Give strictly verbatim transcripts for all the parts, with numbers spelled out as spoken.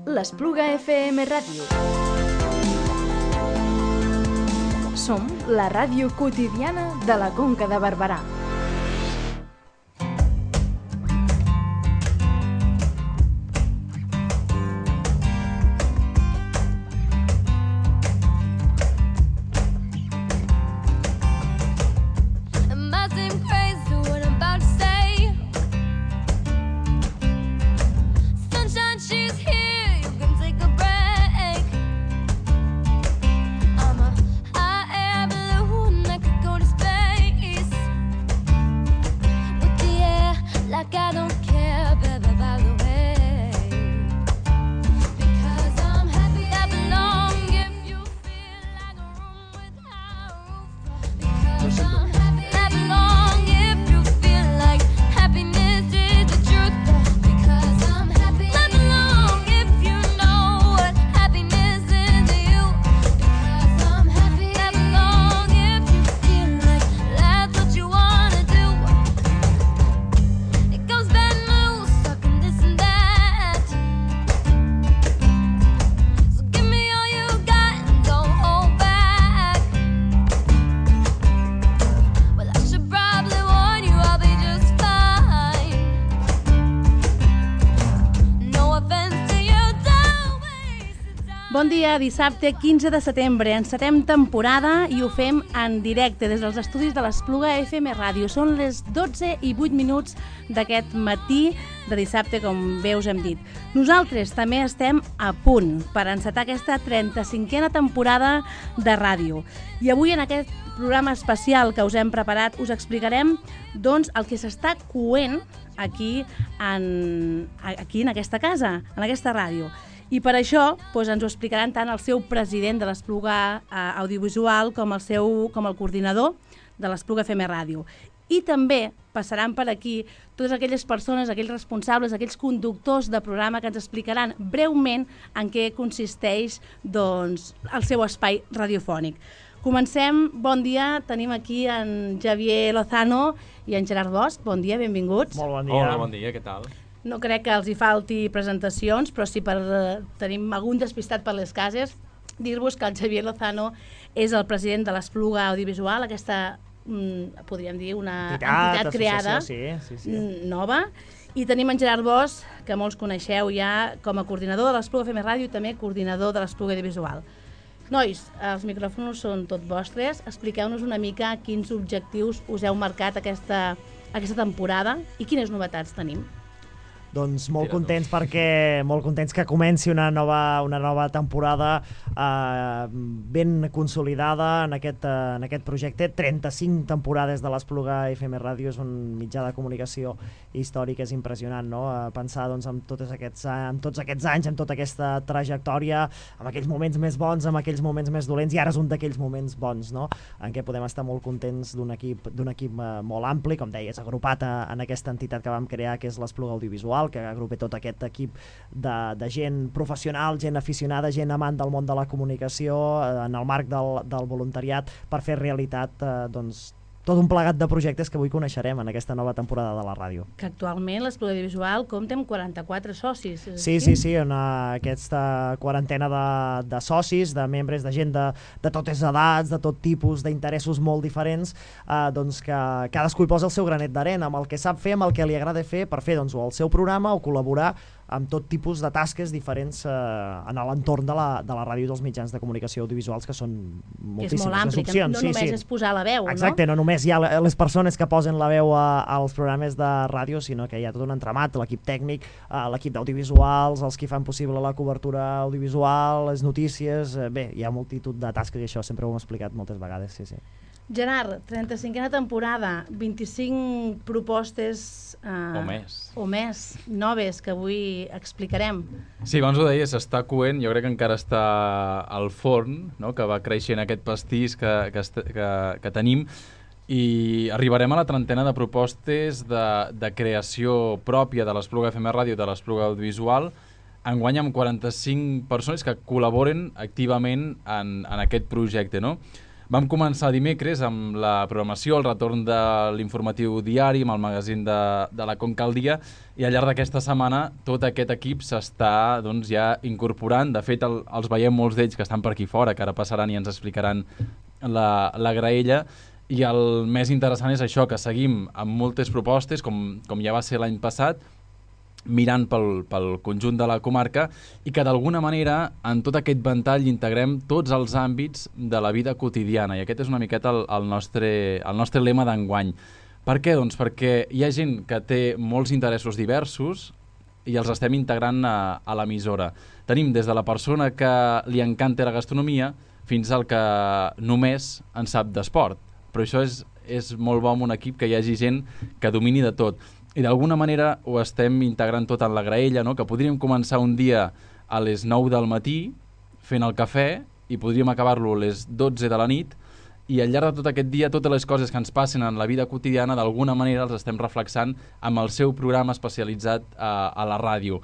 l'Espluga F M Ràdio. Som la ràdio quotidiana de la Conca de Barberà. Bon dia, dissabte quinze de setembre. Encetem temporada i ho fem en directe des dels estudis de l'Espluga F M Ràdio. Són les dotze i vuit minuts d'aquest matí de dissabte, com bé us hem dit. Nosaltres també estem a punt per encetar aquesta trenta-cinquena temporada de ràdio. I avui en aquest programa especial que us hem preparat us explicarem doncs, el que s'està coent aquí en, aquí en aquesta casa, en aquesta ràdio. I per això doncs, ens ho explicaran tant el seu president de l'Espluga eh, Audiovisual com el, seu, com el coordinador de l'Espluga F M Ràdio. I també passaran per aquí totes aquelles persones, aquells responsables, aquells conductors de programa que ens explicaran breument en què consisteix doncs, el seu espai radiofònic. Comencem, bon dia, tenim aquí en Javier Lozano i en Gerard Bosch. Bon dia, benvinguts. Molt bon dia. Hola, bon dia, què tal? No crec que els hi falti presentacions, però si per, eh, tenim algun despistat per les cases, dir-vos que el Javier Lozano és el president de l'Espluga Audiovisual, aquesta, mm, podríem dir, una entitat, entitat creada, sí, sí, sí. nova. I tenim en Gerard Bosch, que molts coneixeu ja com a coordinador de l'Espluga F M Ràdio i també coordinador de l'Espluga Audiovisual. Nois, els micròfons són tots vostres. Expliqueu-nos una mica quins objectius us heu marcat aquesta, aquesta temporada i quines novetats tenim. Doncs molt contents perquè molt contents que comenci una nova, una nova temporada eh, ben consolidada en aquest, eh, en aquest projecte. trenta-cinc temporades de l'Espluga F M Ràdio és un mitjà de comunicació històric, és impressionant, no? Eh, pensar doncs, en, tots aquests, en tots aquests anys, en tota aquesta trajectòria, en aquells moments més bons, en aquells moments més dolents, i ara és un d'aquells moments bons, no? En què podem estar molt contents d'un equip, d'un equip eh, molt ampli, com deies, agrupat a, en aquesta entitat que vam crear, que és l'Espluga Audiovisual, que agrupa tot aquest equip de, de gent professional, gent aficionada, gent amant del món de la comunicació, eh, en el marc del, del voluntariat, per fer realitat eh, doncs, tot un plegat de projectes que avui coneixerem en aquesta nova temporada de la ràdio. Que actualment l'Espluga Audiovisual compta amb quaranta-quatre socis. Sí, sí, sí, en uh, aquesta quarantena de, de socis, de membres, de gent de, de totes edats, de tot tipus, d'interessos molt diferents, uh, doncs que cadascú hi posa el seu granet d'arena, amb el que sap fer, amb el que li agrada fer, per fer doncs, o el seu programa o col·laborar amb tot tipus de tasques diferents eh, en l'entorn de la, de la ràdio i dels mitjans de comunicació audiovisuals, que són moltíssimes. Que és molt ampli, les opcions. no sí, només sí. és posar la veu, Exacte, no? no només hi ha les persones que posen la veu a, als programes de ràdio, sinó que hi ha tot un entramat, l'equip tècnic, eh, l'equip d'audiovisuals, els que fan possible la cobertura audiovisual, les notícies, eh, bé, hi ha multitud de tasques i això sempre ho hem explicat moltes vegades, sí, sí. Gerard, trenta-cinquena temporada, vint-i-cinc propostes eh, o més o més noves que avui explicarem. Sí, abans ho deies, està coent, jo crec que encara està al forn, no? Que va creixent aquest pastís que, que, que, que tenim, i arribarem a la trentena de propostes de, de creació pròpia de l'Espluga F M Ràdio i de l'Espluga Audiovisual, enguany amb quaranta-cinc persones que col·laboren activament en, en aquest projecte, no? Vam començar dimecres amb la programació, el retorn de l'informatiu diari, amb el magazín de, de la Conca al dia, i al llarg d'aquesta setmana tot aquest equip s'està doncs, ja incorporant. De fet, el, els veiem molts d'ells que estan per aquí fora, que ara passaran i ens explicaran la, la graella. I el més interessant és això, que seguim amb moltes propostes, com, com ja va ser l'any passat, mirant pel, pel conjunt de la comarca, i que d'alguna manera en tot aquest ventall integrem tots els àmbits de la vida quotidiana, i aquest és una miqueta el, el, nostre, el nostre lema d'enguany. Per què? Doncs perquè hi ha gent que té molts interessos diversos i els estem integrant a, a l'emissora. Tenim des de la persona que li encanta la gastronomia fins al que només en sap d'esport, però això és, és molt bo en un equip que hi hagi gent que domini de tot. I d'alguna manera ho estem integrant tot en la graella, no? Que podríem començar un dia a les nou del matí fent el cafè i podríem acabar-lo a les dotze de la nit, i al llarg de tot aquest dia totes les coses que ens passen en la vida quotidiana d'alguna manera els estem reflexant amb el seu programa especialitzat a, a la ràdio.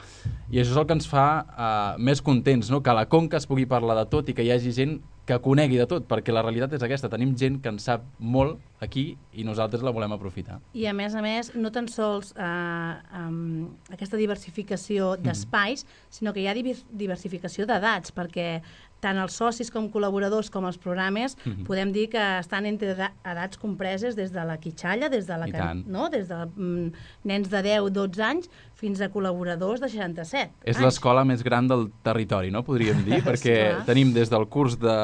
I això és el que ens fa uh, més contents, no? Que a la Conca es pugui parlar de tot i que hi hagi gent que conegui de tot, perquè la realitat és aquesta, tenim gent que en sap molt aquí i nosaltres la volem aprofitar. I a més a més, no tan sols eh, um, aquesta diversificació d'espais, mm. sinó que hi ha diversificació d'edats, perquè tant els socis com col·laboradors com els programes mm-hmm. podem dir que estan entre edats compreses des de la quitxalla, des de la can... no? des de mm, nens de deu a dotze anys fins a col·laboradors de seixanta-set És anys. l'escola més gran del territori, no? Podríem dir, perquè tenim des del curs de,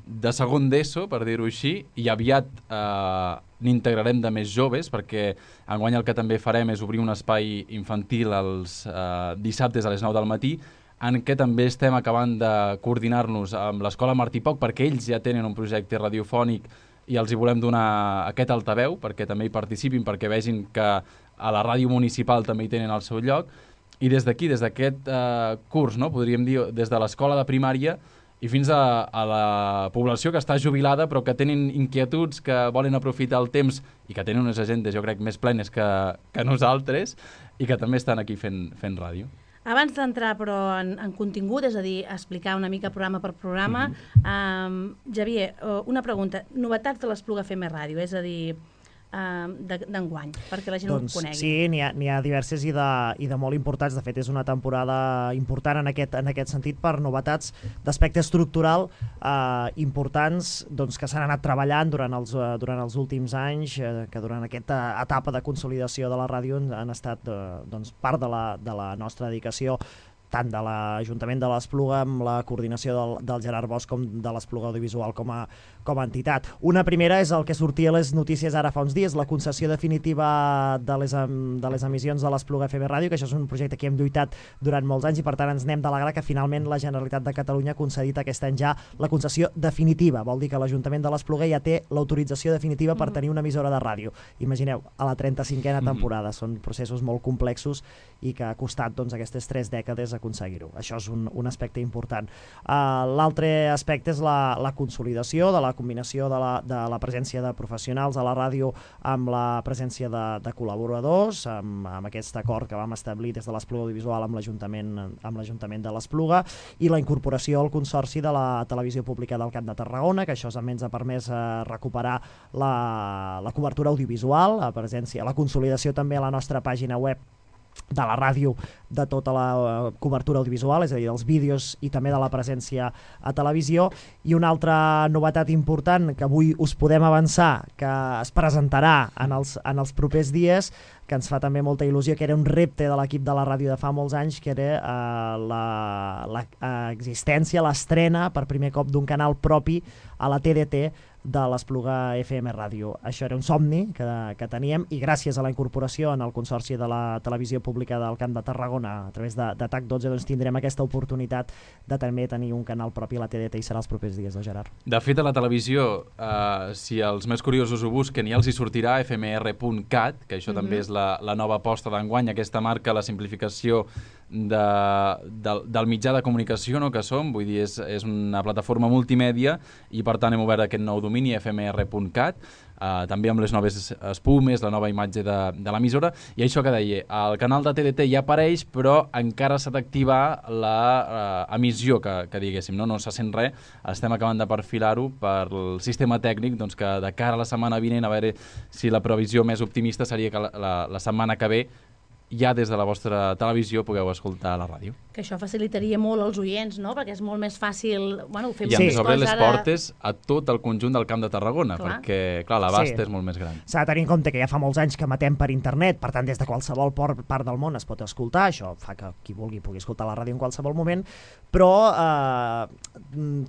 de segon d'ESO, per dir-ho així, i aviat eh, n'integrarem de més joves, perquè enguany el que també farem és obrir un espai infantil els eh, dissabtes a les nou del matí, en què també estem acabant de coordinar-nos amb l'Escola Martí Poc, perquè ells ja tenen un projecte radiofònic i els hi volem donar aquest altaveu perquè també hi participin, perquè vegin que a la ràdio municipal també hi tenen el seu lloc. I des d'aquí, des d'aquest eh, curs, no? Podríem dir, des de l'escola de primària i fins a, a la població que està jubilada però que tenen inquietuds, que volen aprofitar el temps i que tenen unes agendes, jo crec, més plenes que, que nosaltres, i que també estan aquí fent, fent ràdio. Abans d'entrar, però, en, en contingut, és a dir, explicar una mica programa per programa, mm-hmm. um, Xavier, una pregunta. Novetats de l'Espluga F M Ràdio, és a dir, uh, d'enguany, perquè la gent doncs, ho conegui. Sí, n'hi ha, n'hi ha diverses i de, i de molt importants. De fet, és una temporada important en aquest, en aquest sentit per novetats d'aspecte estructural eh, importants doncs, que s'han anat treballant durant els, uh, durant els últims anys, eh, que durant aquesta etapa de consolidació de la ràdio han estat eh, doncs, part de la, de la nostra dedicació, tant de l'Ajuntament de l'Espluga amb la coordinació del, del Gerard Bosch com de l'Espluga Audiovisual com a, com a entitat. Una primera és el que sortia a les notícies ara fa uns dies, la concessió definitiva de les, de les emissions de l'Espluga F M Ràdio, que això és un projecte que hem lluitat durant molts anys i per tant ens n'hem d'alegrar que finalment la Generalitat de Catalunya ha concedit aquest any ja la concessió definitiva. Vol dir que l'Ajuntament de l'Espluga ja té l'autorització definitiva per tenir una emissora de ràdio. Imagineu, a la trenta-cinquena temporada. Són processos molt complexos i que ha costat doncs, aquestes tres dècades aconseguir-ho. Això és un, un aspecte important. Uh, L'altre aspecte és la, la consolidació de la combinació de la, de la presència de professionals a la ràdio amb la presència de, de col·laboradors, amb, amb aquest acord que vam establir des de l'Espluga Audiovisual amb l'Ajuntament amb l'Ajuntament de l'Espluga, i la incorporació al consorci de la Televisió Pública del Camp de Tarragona, que això també ens ha permès uh, recuperar la, la cobertura audiovisual, la presència, la consolidació també a la nostra pàgina web de la ràdio de tota la uh, cobertura audiovisual, és a dir, dels vídeos i també de la presència a televisió. I una altra novetat important que avui us podem avançar, que es presentarà en els, en els propers dies, que ens fa també molta il·lusió, que era un repte de l'equip de la ràdio de fa molts anys, que era uh, l'existència, l'estrena per primer cop d'un canal propi a la T D T de l'Espluga F M Ràdio. Això era un somni que, que teníem, i gràcies a la incorporació en el Consorci de la Televisió Pública del Camp de Tarragona a través de, de T A C dotze, doncs tindrem aquesta oportunitat de també tenir un canal propi a la T D T, i serà els propers dies, de Gerard. De fet, a la televisió, eh, si els més curiosos ho busquen, ja els hi sortirà f m r punt cat, que això mm-hmm. també és la, la nova aposta d'enguany, aquesta marca la simplificació de, del, del mitjà de comunicació, no?, que som, vull dir, és, és una plataforma multimèdia i per tant hem obert aquest nou domini f m r punt cat, uh, també amb les noves espumes, la nova imatge de, de l'emissora, i això que deia, el canal de T D T ja apareix, però encara s'ha d'activar la uh, emissió, que, que diguéssim, no? No se sent res, estem acabant de perfilar-ho per el sistema tècnic, doncs que de cara a la setmana vinent, a veure si la previsió més optimista seria que la, la, la setmana que ve ja des de la vostra televisió pugueu escoltar la ràdio. Que això facilitaria molt als oients, no? Perquè és molt més fàcil... Bueno, ho fem I ens sí. obre les ara... portes a tot el conjunt del Camp de Tarragona, clar. perquè, clar, l'abast Sí. és molt més gran. S'ha de tenir en compte que ja fa molts anys que emetem per internet, per tant, des de qualsevol part del món es pot escoltar, això fa que qui vulgui pugui escoltar la ràdio en qualsevol moment, però eh,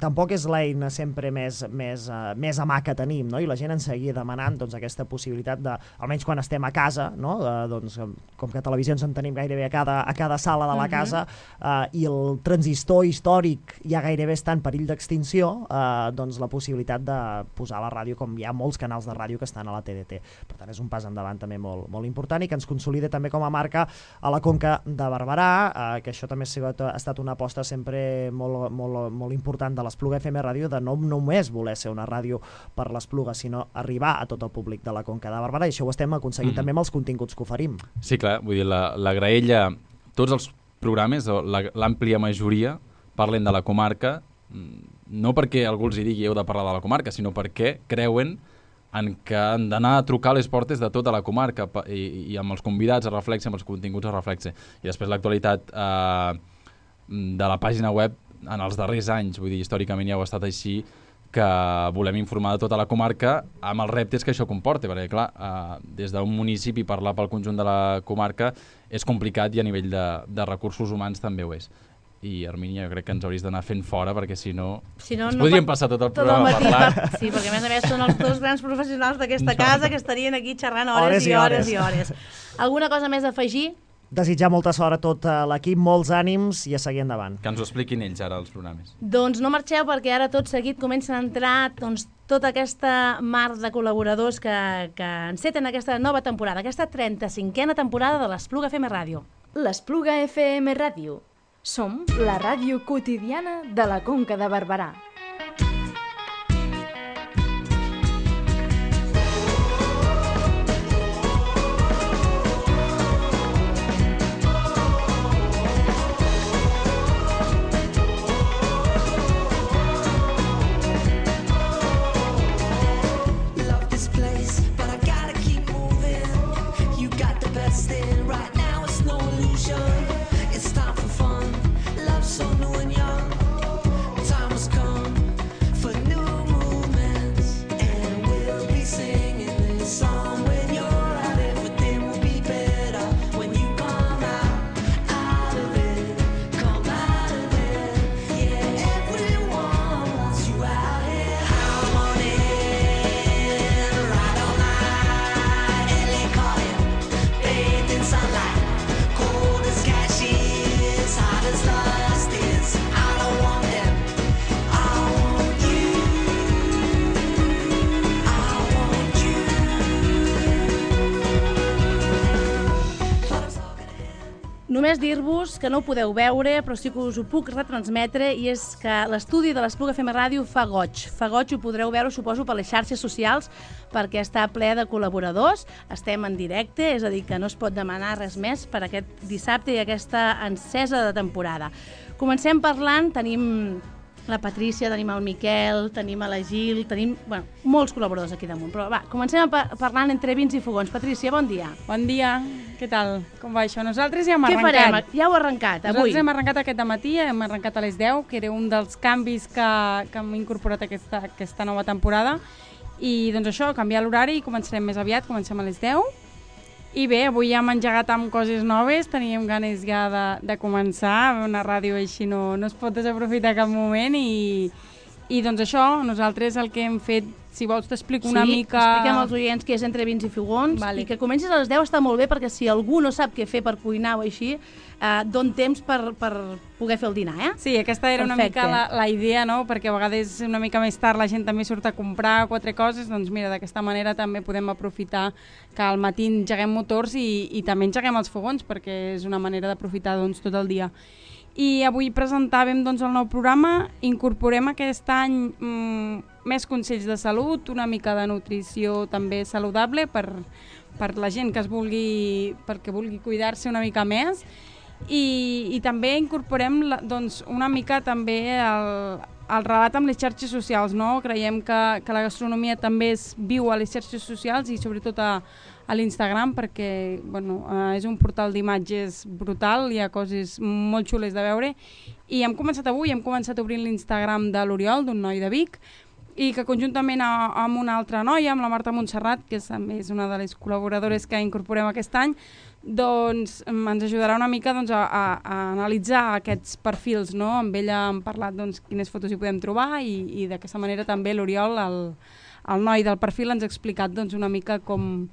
tampoc és l'eina sempre més, més, eh, més a mà que tenim, no? I la gent ens seguia demanant doncs, aquesta possibilitat de, almenys quan estem a casa, no? eh, doncs, com que televisions en tenim gairebé a cada, a cada sala de la casa, uh, i el transistor històric ja gairebé està en perill d'extinció, uh, doncs la possibilitat de posar la ràdio, com hi ha molts canals de ràdio que estan a la T D T. Per tant, és un pas endavant també molt, molt important i que ens consolida també com a marca a la Conca de Barberà, uh, que això també ha, sigut, ha estat una aposta sempre molt, molt, molt important de l'Espluga F M Ràdio, de no només voler ser una ràdio per l'Espluga, sinó arribar a tot el públic de la Conca de Barberà, i això ho estem aconseguint mm-hmm. també amb els continguts que oferim. Sí, clar, vull dir, la, la graella, tots els programes, l'àmplia majoria, parlen de la comarca, no perquè algú els hi digui heu de parlar de la comarca, sinó perquè creuen en que han d'anar a trucar a les portes de tota la comarca i, i amb els convidats a reflexe, amb els continguts a reflexe. I després l'actualitat eh, de la pàgina web en els darrers anys, vull dir, històricament ja ho ha estat així, que volem informar de tota la comarca amb els reptes que això comporta, perquè clar, eh, des d'un municipi parlar pel conjunt de la comarca és complicat i a nivell de, de recursos humans també ho és. I Hermínia, jo crec que ens hauries d'anar fent fora, perquè si no, si no ens no podríem pot... passar tot el tot programa el parlant. Per... Sí, perquè a més a més són els dos grans professionals d'aquesta no. casa que estarien aquí xerrant hores, hores i hores i hores. Alguna cosa més a afegir? Desitjar molta sort a tot l'equip, molts ànims i a seguir endavant. Que ens ho expliquin ells ara, els programes. Doncs no marxeu, perquè ara tot seguit comencen a entrar doncs, tota aquesta mar de col·laboradors que, que enceten aquesta nova temporada, aquesta trenta-cinquena temporada de l'Espluga F M Ràdio. L'Espluga F M Ràdio. Som la ràdio quotidiana de la Conca de Barberà. Només dir-vos que no ho podeu veure, però sí que us ho puc retransmetre, i és que l'estudi de l'Espluga F M Ràdio fa goig. Fa goig, ho podreu veure, suposo, per les xarxes socials, perquè està ple de col·laboradors. Estem en directe, és a dir, que no es pot demanar res més per aquest dissabte i aquesta encesa de temporada. Comencem parlant, tenim la Patrícia, tenim el Miquel, tenim a la Gil, tenim, bueno, molts col·laboradors aquí damunt, però va, comencem parlant entre vins i fogons. Patrícia, bon dia. Bon dia, què tal? Com va això? Nosaltres ja hem Què arrencat. Què farem? Ja ho he arrencat, avui. Nosaltres hem arrencat aquest matí, hem arrencat a les deu, que era un dels canvis que, que hem incorporat aquesta, aquesta nova temporada, i doncs això, canviar l'horari, començarem més aviat, comencem a les deu. I bé, avui ja hem engegat amb coses noves, teníem ganes ja de, de començar, una ràdio així no, no es pot desaprofitar cap moment, i, I doncs això, nosaltres el que hem fet, si vols t'explico una sí, mica... Sí, expliquem als oients que és Entre vins i fogons, vale. I que comencis a les deu està molt bé, perquè si algú no sap què fer per cuinar o així, eh, don temps per, per poder fer el dinar, eh? Sí, aquesta era Perfecte. una mica la, la idea, no? Perquè a vegades una mica més tard la gent també surt a comprar quatre coses, doncs mira, d'aquesta manera també podem aprofitar que al matí engeguem motors i, i també engeguem els fogons, perquè és una manera d'aprofitar doncs, tot el dia. I avui presentàvem doncs, el nou programa, incorporem aquest any mmm, més consells de salut, una mica de nutrició també saludable per, per la gent que es vulgui, perquè vulgui cuidar-se una mica més, i, i també incorporem la, doncs, una mica també el, el relat amb les xarxes socials, no? Creiem que, que la gastronomia també es viu a les xarxes socials i sobretot a, a l'Instagram, perquè bueno, eh, és un portal d'imatges brutal, hi ha coses molt xules de veure, i hem començat avui, hem començat obrint l'Instagram de l'Oriol, d'un noi de Vic, i que conjuntament a, amb una altra noia, amb la Marta Montserrat, que és, és una de les col·laboradores que incorporem aquest any, doncs ens ajudarà una mica doncs, a, a, a analitzar aquests perfils, no? Amb ella hem parlat doncs, quines fotos hi podem trobar i, i d'aquesta manera també l'Oriol, el, el noi del perfil, ens ha explicat doncs, una mica com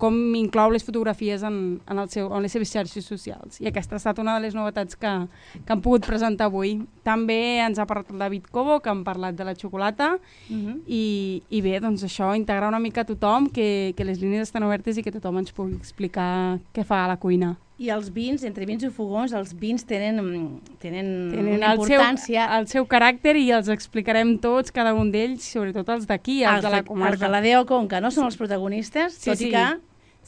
com inclou les fotografies en, en, el seu, en les seves xarxes socials. I aquesta ha estat una de les novetats que, que hem pogut presentar avui. També ens ha parlat el David Cobo, que hem parlat de la xocolata, uh-huh. i, i bé, doncs això, integrar una mica a tothom, que, que les línies estan obertes i que tothom ens pugui explicar què fa a la cuina. I els vins, entre vins i fogons, els vins tenen, tenen, tenen una importància. El seu, el seu caràcter i els explicarem tots, cada un d'ells, sobretot els d'aquí, els, els de la comarca. Els de la D O Conca, no? Són els protagonistes, sí, tot sí. i que...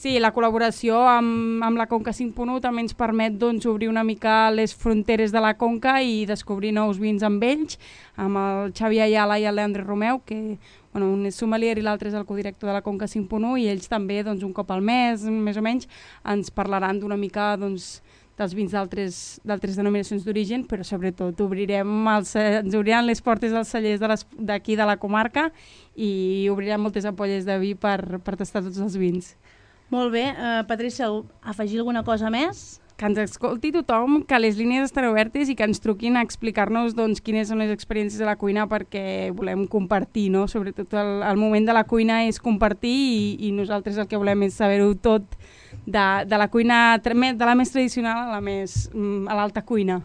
Sí, la col·laboració amb, amb la Conca cinc punt u també ens permet doncs, obrir una mica les fronteres de la Conca i descobrir nous vins amb ells, amb el Xavi Ayala i el Leandre Romeu, que bueno, un és sommelier i l'altre és el codirector de la Conca cinc punt u, i ells també doncs, un cop al mes, més o menys, ens parlaran d'una mica doncs, dels vins d'altres denominacions d'origen, però sobretot obrirem els, ens obriran les portes dels cellers d'aquí de, de la comarca i obrirem moltes ampolles de vi per, per tastar tots els vins. Molt bé. Uh, Patrícia, afegir alguna cosa més? Que ens escolti tothom, que les línies estan obertes i que ens truquin a explicar-nos doncs, quines són les experiències de la cuina, perquè volem compartir, no? Sobretot el, el moment de la cuina és compartir i, i nosaltres el que volem és saber-ho tot de, de la cuina, de la més tradicional a la més a l'alta cuina.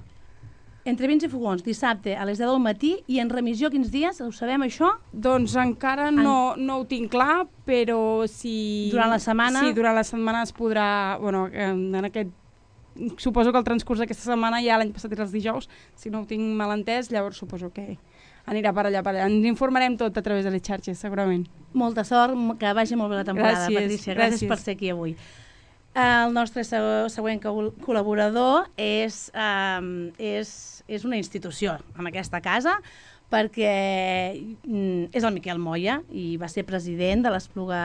Entre vins i fogons, dissabte a les deu del matí, i en remissió quins dies? Ho sabem, això? Doncs encara no, no ho tinc clar, però si... Durant la setmana? Sí, durant la setmana es podrà... Bueno, en aquest... Suposo que el transcurs d'aquesta setmana ja l'any passat era els dijous, si no ho tinc mal entès, llavors suposo que anirà per allà, per allà. Ens informarem tot a través de les xarxes, segurament. Molta sort, que vagi molt bé la temporada, gràcies, Patrícia. Gràcies, gràcies per ser aquí avui. El nostre següent col·laborador és, um, és, és una institució en aquesta casa, perquè mm, és el Miquel Moya i va ser president de l'Espluga,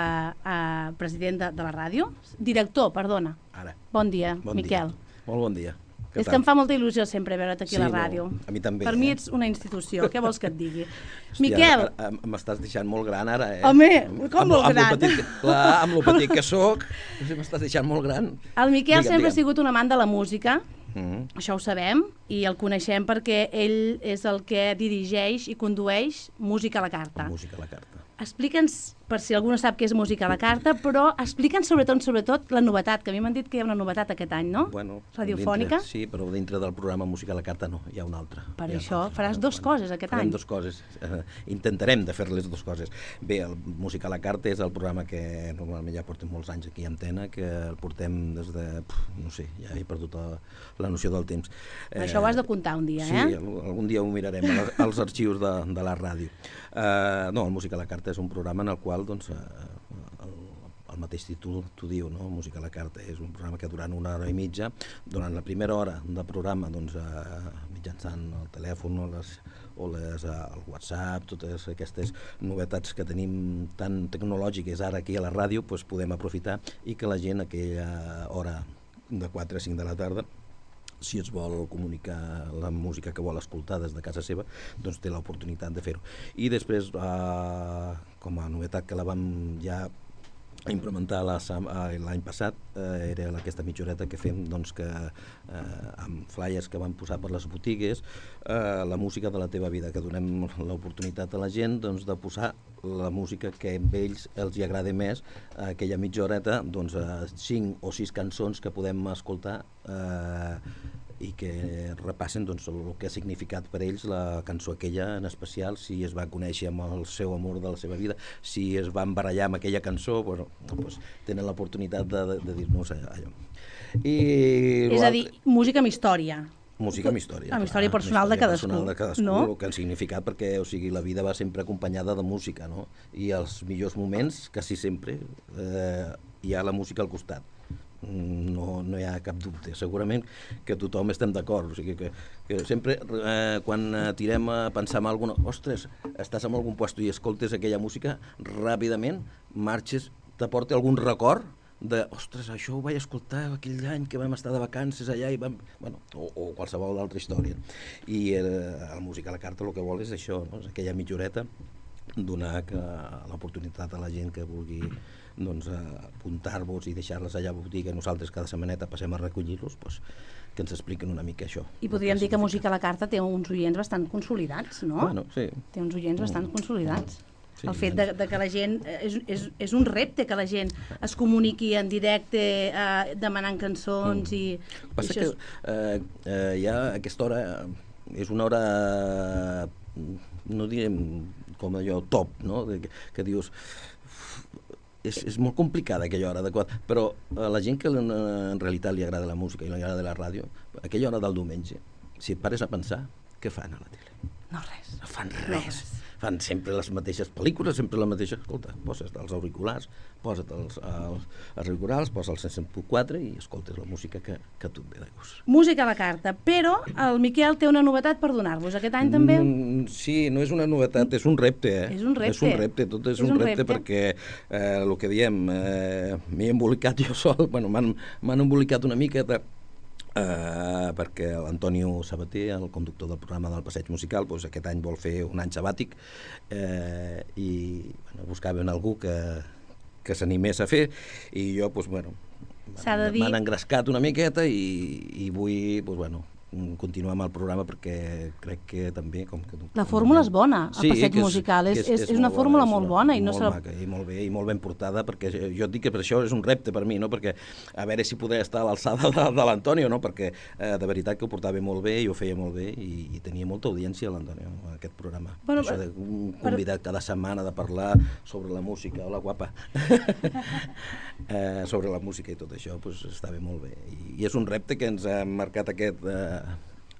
uh, president de, de la ràdio, director, perdona. Ara. Bon dia, bon Miquel. Dia. Molt bon dia. Què és tal? que em fa molta il·lusió sempre veure't aquí sí, a la ràdio. No, a mi també. Per eh? mi ets una institució, què vols que et digui? Hòstia, Miquel! M'estàs deixant molt gran ara, eh? Home, com amb, molt amb gran? Lo petit, clar, amb lo petit que soc, m'estàs deixant molt gran. El Miquel digue'm, sempre digue'm. ha sigut un amant de la música, Mm-hmm. això ho sabem, i el coneixem perquè ell és el que dirigeix i condueix Música a la Carta. Música a la carta. Explica'ns, per si algú no sap què és Música a la Carta, però explica'ns sobretot, sobretot la novetat, que a mi m'han dit que hi ha una novetat aquest any, no? Bueno, radiofònica. Dintre, sí, però dintre del programa Música a la carta no, hi ha una altra. Per ha això una faràs dos bueno, coses aquest farem any. Dos coses. Eh, intentarem de fer les dues coses. Bé, el Música a la carta és el programa que normalment ja portem molts anys aquí a Antena, que el portem des de, puf, no sé, ja he perdut la, la noció del temps. Eh, això ho has de comptar un dia, sí, eh? Sí, algun dia ho mirarem als arxius de, de la ràdio. Eh, no, el Música a la carta és un programa en el qual, doncs, eh, el, el mateix títol t'ho diu, no? Música a la carta és un programa que durant una hora i mitja, durant la primera hora de programa, doncs, eh, mitjançant el telèfon o, les, o les, eh, el WhatsApp, totes aquestes novetats que tenim tan tecnològiques ara aquí a la ràdio, doncs podem aprofitar i que la gent a aquella hora de quatre a cinc de la tarda, si es vol comunicar la música que vol escoltar des de casa seva, doncs té l'oportunitat de fer-ho. I després, eh, com a novetat que la vam ja implementar l'any passat eh, era aquesta mitja horeta que fem doncs, que, eh, amb flyers que van posar per les botigues, eh, la música de la teva vida, que donem l'oportunitat a la gent doncs, de posar la música que a ells els hi agrada més, eh, aquella mitja horeta, doncs, eh, cinc o sis cançons que podem escoltar eh, i que repassen doncs, el que ha significat per ells la cançó aquella en especial, si es va conèixer amb el seu amor de la seva vida, si es van barallar amb aquella cançó, bueno, doncs, tenen l'oportunitat de, de, de dir-nos allò. I és a dir, música amb història. Música amb història. Amb història personal de cadascú. Personal de cadascú, no? El que ha significat, perquè o sigui, la vida va sempre acompanyada de música, no? I els millors moments, quasi sempre, eh, hi ha la música al costat. No, no hi ha cap dubte, segurament que tothom estem d'acord, o sigui que, que sempre eh, quan tirem a pensar en alguna, ostres, estàs en algun lloc i escoltes aquella música, ràpidament marxes, t'aporta algun record de, ostres, això ho vaig escoltar aquell any que vam estar de vacances allà i vam... Bueno, o, o qualsevol altra història. I eh, la música a la carta el que vol és això, no? És aquella mitja horeta, donar que, l'oportunitat a la gent que vulgui doncs, apuntar-vos i deixar-les allà a botiga, nosaltres cada setmaneta passem a recollir-los, doncs, que ens expliquen una mica això. I podríem dir que Música a la carta té uns oients bastant consolidats, no? Bueno, sí. Té uns oients bastant mm. consolidats. Sí, el fet de, de que la gent, és, és, és un repte que la gent es comuniqui en directe eh, demanant cançons mm. i... El que passa i és que eh, eh, ja aquesta hora és una hora, no direm com allò top, no? Que, que dius... És, és molt complicada aquella hora adequada, però a la gent que en realitat li agrada la música i li agrada la ràdio, aquella hora del diumenge, si et pares a pensar, què fan a la tele? No res. No fan res. No res. Fan sempre les mateixes pel·lícules, sempre la mateixa... Escolta, poses els auriculars, posa't els, els, els auriculars, posa el cent punt quatre i escoltes la música que, que tu et ve de gust. Música a la carta, però el Miquel té una novetat per donar-vos. Aquest any també... Mm, sí, no és una novetat, és un repte. Eh? És un repte. És un repte, tot és, és un, un repte, repte perquè eh, el que diem, eh, m'he embolicat jo sol, bueno, m'han embolicat una mica... De, Uh, perquè l'Antonio Sabater, el conductor del programa del Passeig Musical, doncs aquest any vol fer un any sabàtic uh, i bueno, buscaven algú que, que s'animés a fer i jo, doncs, bueno, m'han dir... engrescat una miqueta i, i vull, doncs, bueno, continuar amb el programa perquè crec que també... Com que, la fórmula és bona, el sí, Passeig Musical, és, és, és, és una fórmula molt bona. I no molt se... maca i molt bé, i molt ben portada, perquè jo et dic que per això és un repte per mi, no? Perquè a veure si podré estar a l'alçada de, de l'Antonio, no? Perquè eh, de veritat que ho portava molt bé i ho feia molt bé i, i tenia molta audiència l'Antonio en aquest programa. Bueno, això de un convidat per... cada setmana de parlar sobre la música, hola guapa, eh, sobre la música i tot això, doncs estava molt bé. I, i és un repte que ens ha marcat aquest... Eh,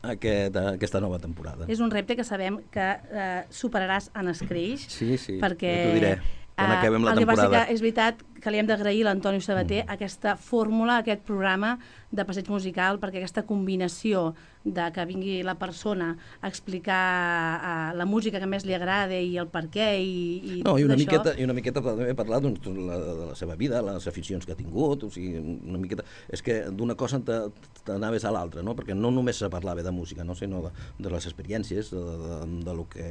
Aquest, aquesta nova temporada. És un repte que sabem que eh, superaràs en escreix. Sí, sí, perquè, ja t'ho diré, quan acabem la temporada. El que passa que és veritat que li hem d'agrair a l'Antonio Sabater mm. aquesta fórmula, aquest programa de Passeig Musical, perquè aquesta combinació de que vingui la persona a explicar uh, la música que més li agrada i el per què i, i no, i una això. miqueta, i una miqueta també parlar doncs, de, la, de la seva vida, les aficions que ha tingut, o sigui, una miqueta... És que d'una cosa t'anaves a l'altra, no? Perquè no només se parlava de música, no? Sinó de, de les experiències, de, de, de lo que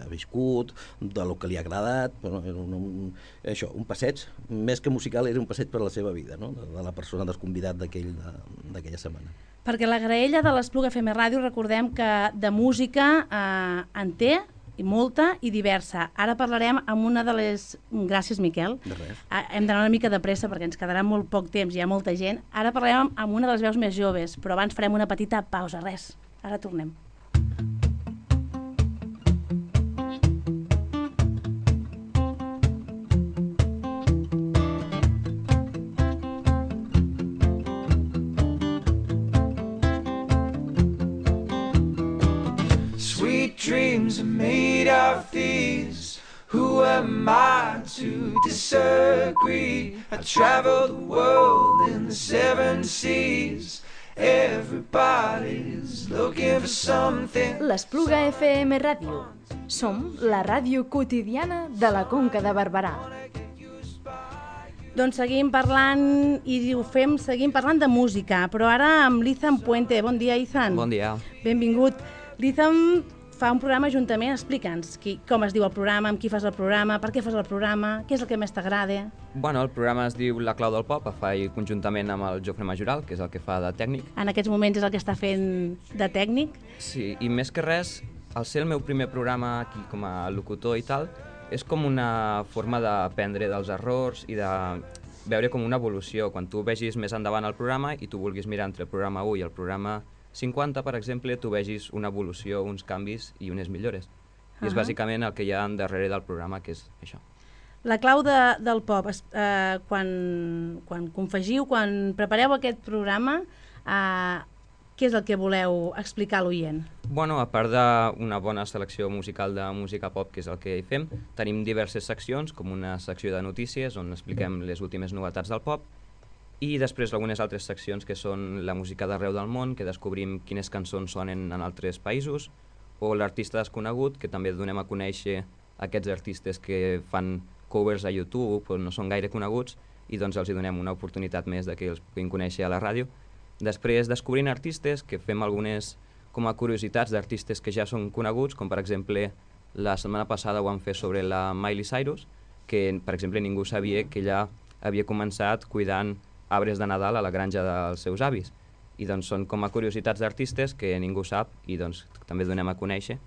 ha viscut, de lo que li ha agradat, bueno, era un, un, això, un passeig, més que musical, era un passeig per la seva vida, no? De, de la persona, del convidat d'aquella setmana. Perquè la graella de l'Espluga F M Ràdio, recordem que de música eh, en té, i molta i diversa. Ara parlarem amb una de les... Gràcies, Miquel. De res. Eh, hem d'anar una mica de pressa perquè ens quedarà molt poc temps, hi ha molta gent. Ara parlarem amb una de les veus més joves, però abans farem una petita pausa, res. Ara tornem. Dreams are made of these. Who am I to disagree? I travel the world in the seven seas. Everybody's looking for something. L'Espluga F M Ràdio. Som la ràdio quotidiana de la Conca de Barberà. Doncs seguim parlant, i ho fem, seguim parlant de música, però ara amb l'Izan Puente. Bon dia, Izan. Bon dia. Benvingut. L'Izan fa un programa juntament. Explica'ns qui, com es diu el programa, amb qui fas el programa, per què fas el programa, què és el que més t'agrada? Bueno, el programa es diu La Clau del Pop, el fa conjuntament amb el Jofre Majoral, que és el que fa de tècnic. En aquests moments és el que està fent de tècnic? Sí, i més que res, al ser el meu primer programa aquí com a locutor i tal, és com una forma d'aprendre dels errors i de veure com una evolució. Quan tu vegis més endavant el programa i tu vulguis mirar entre el programa u i el programa cinquanta, per exemple, tu vegis una evolució, uns canvis i unes millores. I és Uh-huh. bàsicament el que hi ha darrere del programa, que és això. La clau de, del pop, es- eh, quan, quan confegiu, quan prepareu aquest programa, eh, què és el que voleu explicar a l'oient? Bueno, a part d'una bona selecció musical de música pop, que és el que hi fem, tenim diverses seccions, com una secció de notícies, on expliquem les últimes novetats del pop, i després algunes altres seccions que són la música d'arreu del món, que descobrim quines cançons sonen en altres països, o l'artista desconegut, que també donem a conèixer aquests artistes que fan covers a YouTube, però no són gaire coneguts, i doncs els hi donem una oportunitat més de que els puguin conèixer a la ràdio. Després descobrint artistes, que fem algunes com a curiositats d'artistes que ja són coneguts, com per exemple la setmana passada ho vam fer sobre la Miley Cyrus, que per exemple ningú sabia que ella havia començat cuidant arbres de Nadal a la granja dels seus avis. I doncs són com a curiositats d'artistes que ningú sap i doncs també donem a conèixer.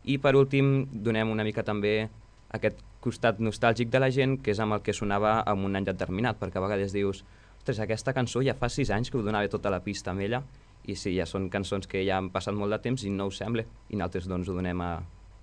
I per últim donem una mica també aquest costat nostàlgic de la gent, que és amb el que sonava en un any determinat, perquè a vegades dius, ostres, aquesta cançó ja fa sis anys que ho donava tota la pista amb ella, i sí, ja són cançons que ja han passat molt de temps i no us sembla, i nosaltres doncs ho donem a,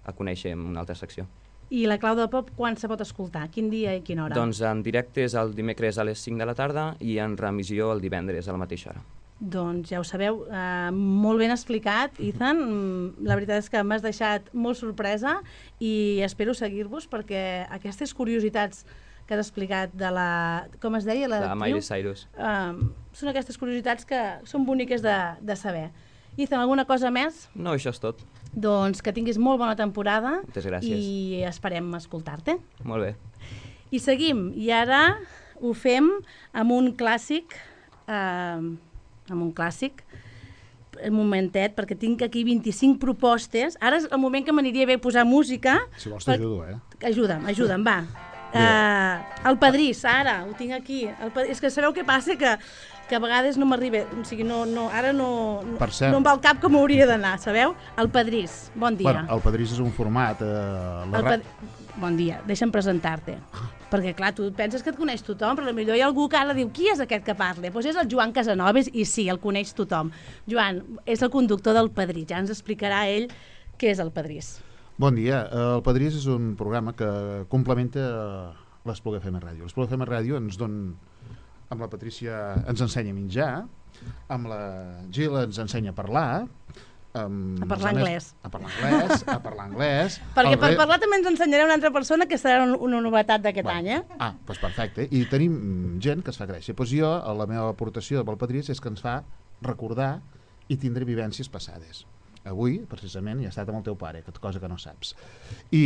a conèixer en una altra secció. I la clau del pop, quan se pot escoltar? Quin dia i quina hora? Doncs en directe és el dimecres a les cinc de la tarda i en remissió el divendres a la mateixa hora. Doncs ja ho sabeu, eh, molt ben explicat, Ethan. Mm, La veritat és que m'has deixat molt sorpresa i espero seguir-vos perquè aquestes curiositats que has explicat de la... com es deia? La De Miley Cyrus. Uh, són aquestes curiositats que són boniques de, de saber. Ethan, alguna cosa més? No, això és tot. Doncs que tinguis molt bona temporada. Moltes gràcies. I esperem escoltar-te. Molt bé. I seguim, i ara ho fem amb un clàssic, eh, amb un clàssic, un momentet, perquè tinc aquí vint-i-cinc propostes. Ara és el moment que m'aniria bé posar música. Si vols per- t'ajudo, eh? Ajuda'm, ajuda'm, va. Uh, el Padrís, ara, ho tinc aquí. El Padrís, és que sabeu què passa? Que, que a vegades no m'arriba, o sigui, no, no, ara no, no, Per cert. no em va al cap com hauria d'anar, sabeu? El Padrís, bon dia. Bueno, el Padrís és un format... Eh, la El ra- Pad... Bon dia, deixa'm presentar-te. Perquè, clar, tu penses que et coneix tothom, però potser hi ha algú que ara diu qui és aquest que parla? Doncs és el Joan Casanovas i sí, el coneix tothom. Joan, és el conductor del Padrís, ja ens explicarà ell què és el Padrís. Bon dia. El Padrís és un programa que complementa l'Espluga F M Ràdio. L'Espluga F M Ràdio ens don... amb la Patrícia ens ensenya a menjar, amb la Gil ens ensenya a parlar, Um, A parlar anglès. A parlar anglès, a parlar anglès. Perquè El per re- parlar també ens ensenyarà una altra persona que serà un- una novetat d'aquest Bueno, any, eh? Ah, doncs perfecte. I tenim mm, gent que es fa gràcia. Doncs jo, la meva aportació pel Padrís és que ens fa recordar i tindre vivències passades. Avui, precisament, he estat amb el teu pare, que cosa que no saps. I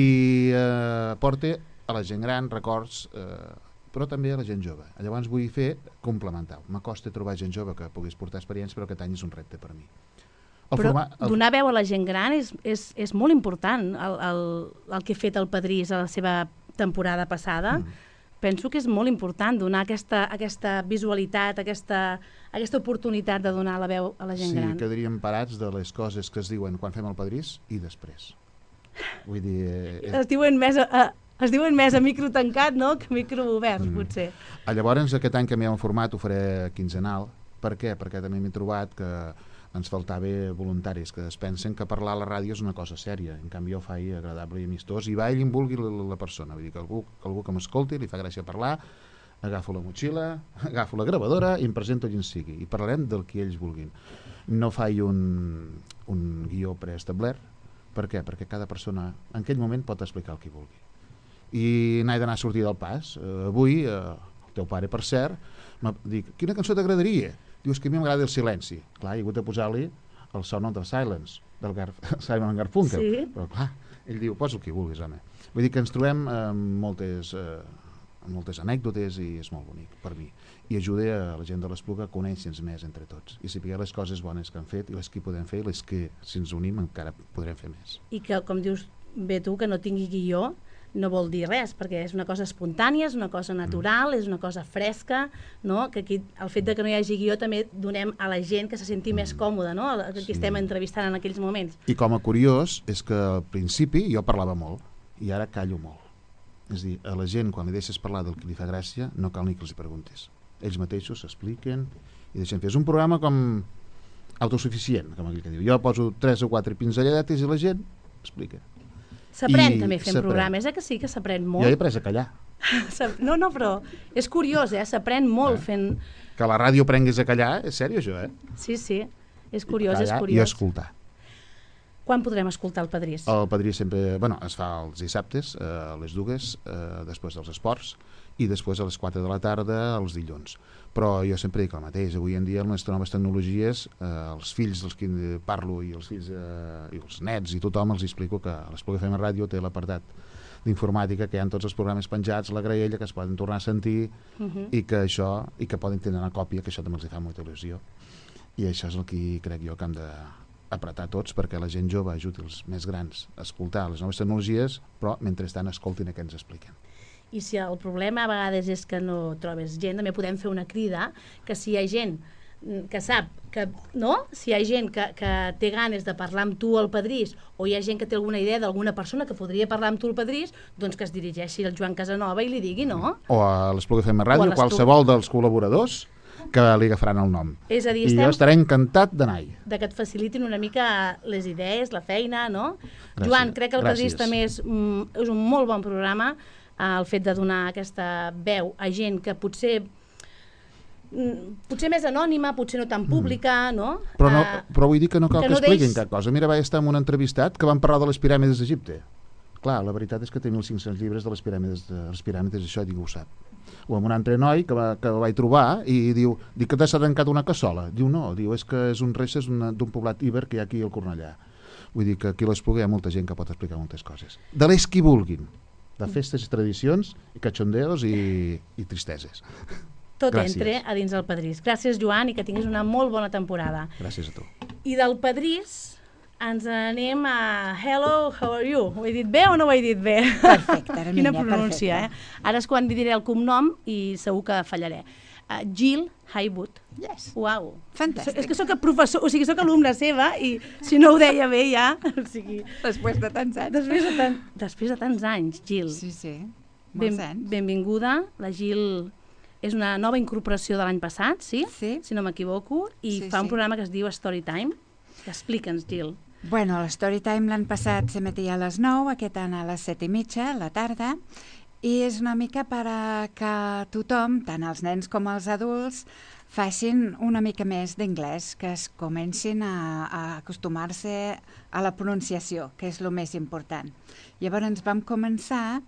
eh, porta a la gent gran records, eh, però també a la gent jove. Llavors vull fer complementar. M'acosta trobar gent jove que puguis portar experiència, però aquest any és un repte per mi. El Però forma- el- donar veu a la gent gran és, és, és molt important, el, el, el que ha fet el Padrís a la seva temporada passada. Mm. Penso que és molt important donar aquesta, aquesta visualitat, aquesta, aquesta oportunitat de donar la veu a la gent sí, gran. quedaríem parats de les coses que es diuen quan fem el Padrís i després. Vull dir... Eh, Es diuen més a, a, es diuen més a micro tancat, no?, que a micro obert, Mm. potser. Ah, Llavors, aquest any canviem el format, ho faré quinzenal. Per què? Perquè també m'he trobat que ens faltava voluntaris que es pensen que parlar a la ràdio és una cosa sèria. En canvi, jo ho faig agradable i amistós i va ell em vulgui la, la persona. Vull dir que algú, que algú que m'escolti, li fa gràcia parlar, agafo la motxilla, agafo la gravadora i em presento allà on sigui. I parlarem del que ells vulguin. No faig un, un guió preestablert. Per què? Perquè cada persona en aquell moment pot explicar el que vulgui. I n'he d'anar a sortir del pas. Uh, avui, uh, el teu pare, per cert, m'ha dit, quina cançó t'agradaria? Dius que a mi m'agrada el silenci. Clar, he hagut de posar-li el Sound of the Silence, del Gar Simon Garfunkel. Sí. Però clar, ell diu, posa el que vulguis, home. Vull dir que ens trobem amb moltes, eh, moltes anècdotes i és molt bonic per mi. I ajuda a la gent de l'Espluga a conèixer-nos més entre tots i saber les coses bones que han fet i les que podem fer i les que, si ens unim, encara podrem fer més. I que, com dius bé tu, que no tingui guió, no vol dir res, perquè és una cosa espontània, és una cosa natural, mm. és una cosa fresca, no? Que aquí el fet de que no hi hagi guió també donem a la gent que se senti mm. més còmoda, no? Que sí. Estem entrevistant en aquells moments. I com a curiós és que al principi jo parlava molt i ara callo molt. És a dir, a la gent quan li deixes parlar del que li fa gràcia no cal ni que els hi preguntis. Ells mateixos s'expliquen i deixen fer. És un programa com autosuficient, com aquell que diu. Jo poso tres o quatre pinzelladetes i la gent explica. S'aprèn també fent programes, eh que sí que s'aprèn molt. Jo he après a callar. No, no, però és curiós, eh? S'aprèn molt eh? fent... Que la ràdio aprenguis a callar, és sèrio això, eh? Sí, sí, és curiós, callar és curiós. I escoltar. Quan podrem escoltar el Padrís? El Padrís sempre, bueno, es fa els dissabtes, eh, a les dues, eh, després dels esports, i després a les quatre de la tarda els dilluns. Però jo sempre dic el mateix, avui en dia amb les noves tecnologies, eh, els fills dels que parlo i els fills eh, i els nets i tothom els explico que l'Espluga F M Ràdio té l'apartat d'informàtica, que hi ha tots els programes penjats, la graella, que es poden tornar a sentir uh -huh. i que això, i que poden tenir una còpia, que això també els fa molta il·lusió. I això és el que crec jo que hem d'apretar tots perquè la gent jove ajudi els més grans a escoltar les noves tecnologies, però mentrestant escoltin el que ens expliquen. I si el problema a vegades és que no trobes gent, també podem fer una crida que si hi ha gent que sap que, no? Si hi ha gent que, que té ganes de parlar amb tu al Padrís o hi ha gent que té alguna idea d'alguna persona que podria parlar amb tu al Padrís, doncs que es dirigeixi al Joan Casanova i li digui, no? O a l'Espluga F M Ràdio, qualsevol dels col·laboradors que li agafaran el nom. És a dir, I jo estaré encantat d'anar-hi. De que et facilitin una mica les idees, la feina, no? Gràcies. Joan, crec que el Padrís també és, mm, és un molt bon programa, el fet de donar aquesta veu a gent que potser potser més anònima, potser no tan pública, no? Però, no, però vull dir que no cal que, que no expliquin deix... cap cosa. Mira, vaig estar en un entrevistat que van parlar de les piràmides d'Egipte. Clar, la veritat és que té mil cinc-cents llibres de les piràmides, de les piràmides, això ningú ho sap. O amb un altre noi que, va, que el vaig trobar i diu, dic que t'has tancat una cassola. Diu, no, diu, és que és un restes d'un poblat íber que hi ha aquí al Cornellà. Vull dir que aquí a l'Espluga hi ha molta gent que pot explicar moltes coses. De les que vulguin. De festes i tradicions, i cachondeos i, i tristeses. Tot Gràcies. Entre a dins del Padrís. Gràcies, Joan, i que tinguis una molt bona temporada. Gràcies a tu. I del Padrís ens anem a Hello, how are you? Ho he dit bé o no ho he dit bé? Perfecte, Hermínia, Quina pronúncia, eh? Ara és quan diré el cognom i segur que fallaré. Uh, Jill Haywood. Yes. Uau. Fantàstic. És que sóc professor, o sigui, sóc alumna seva i si no ho deia bé ja... O sigui, després de tants anys. Després de, tan, després de tants anys, Jill. Sí, sí, ben, molts anys. Benvinguda. La Jill és una nova incorporació de l'any passat, sí? Sí. Si no m'equivoco, i sí, fa sí. un programa que es diu Storytime. Explica'ns, Jill. Bueno, l'Storytime l'any passat s'emetia a les nou, aquest any a les set i mitja, a la tarda, i és una mica per a que tothom, tant els nens com els adults, facin una mica més d'anglès, que es comencin a, a acostumar-se a la pronunciació, que és el més important. Llavors vam començar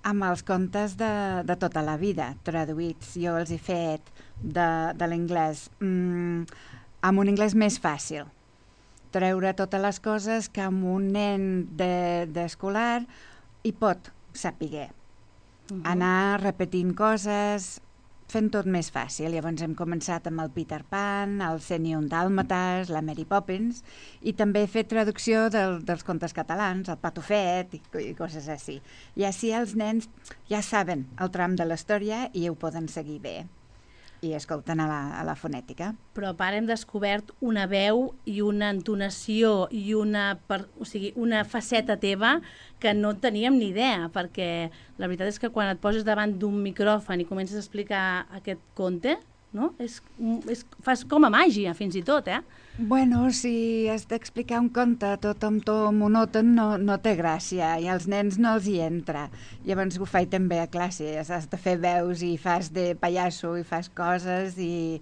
amb els contes de, de tota la vida, traduïts. Jo els he fet de, de l'anglès mm, amb un anglès més fàcil. Treure totes les coses que amb un nen d'escolar de, hi pot saber. Uh-huh. Anar repetint coses, fent tot més fàcil. Llavors hem començat amb el Peter Pan, el cent i un Dàlmates, la Mary Poppins, i també he fet traducció del, dels contes catalans, el Patufet i, i coses així. I així els nens ja saben el tram de la història i ho poden seguir bé. I escolten a la, a la fonètica. Però a part hem descobert una veu i una entonació i una, per, o sigui, una faceta teva que no teníem ni idea, perquè la veritat és que quan et poses davant d'un micròfon i comences a explicar aquest conte, no? És, és, fas com a màgia, fins i tot, eh? Bueno, si has d'explicar un conte tot amb to monòton no, no té gràcia i als nens no els hi entra. Llavors ho faig també a classe, has de fer veus i fas de pallasso i fas coses i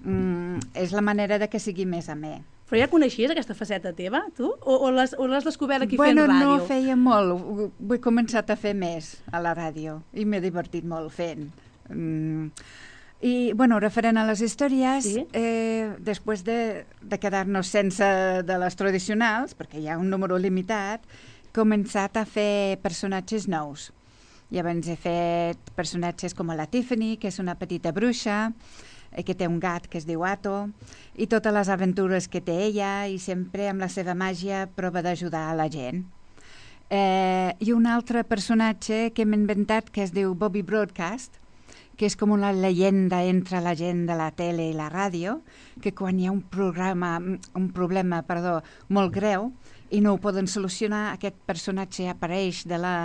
mm, és la manera de que sigui més amè. Però ja coneixies aquesta faceta teva, tu? O, o l'has descobert aquí bueno, fent ràdio? Bueno, no feia molt, ho, ho he començat a fer més a la ràdio i m'he divertit molt fent. Mm. I, bueno, referent a les històries, sí? eh, després de, de quedar-nos sense de les tradicionals, perquè hi ha un número limitat, he començat a fer personatges nous. Llavors he fet personatges com la Tiffany, que és una petita bruixa, que té un gat que es diu Ato, i totes les aventures que té ella, i sempre amb la seva màgia prova d'ajudar a la gent. Eh, I un altre personatge que hem inventat que es diu Bobby Broadcast, que és com una llegenda entre la gent de la tele i la ràdio, que quan hi ha un programa, un problema, perdó, molt greu i no ho poden solucionar, aquest personatge apareix de la,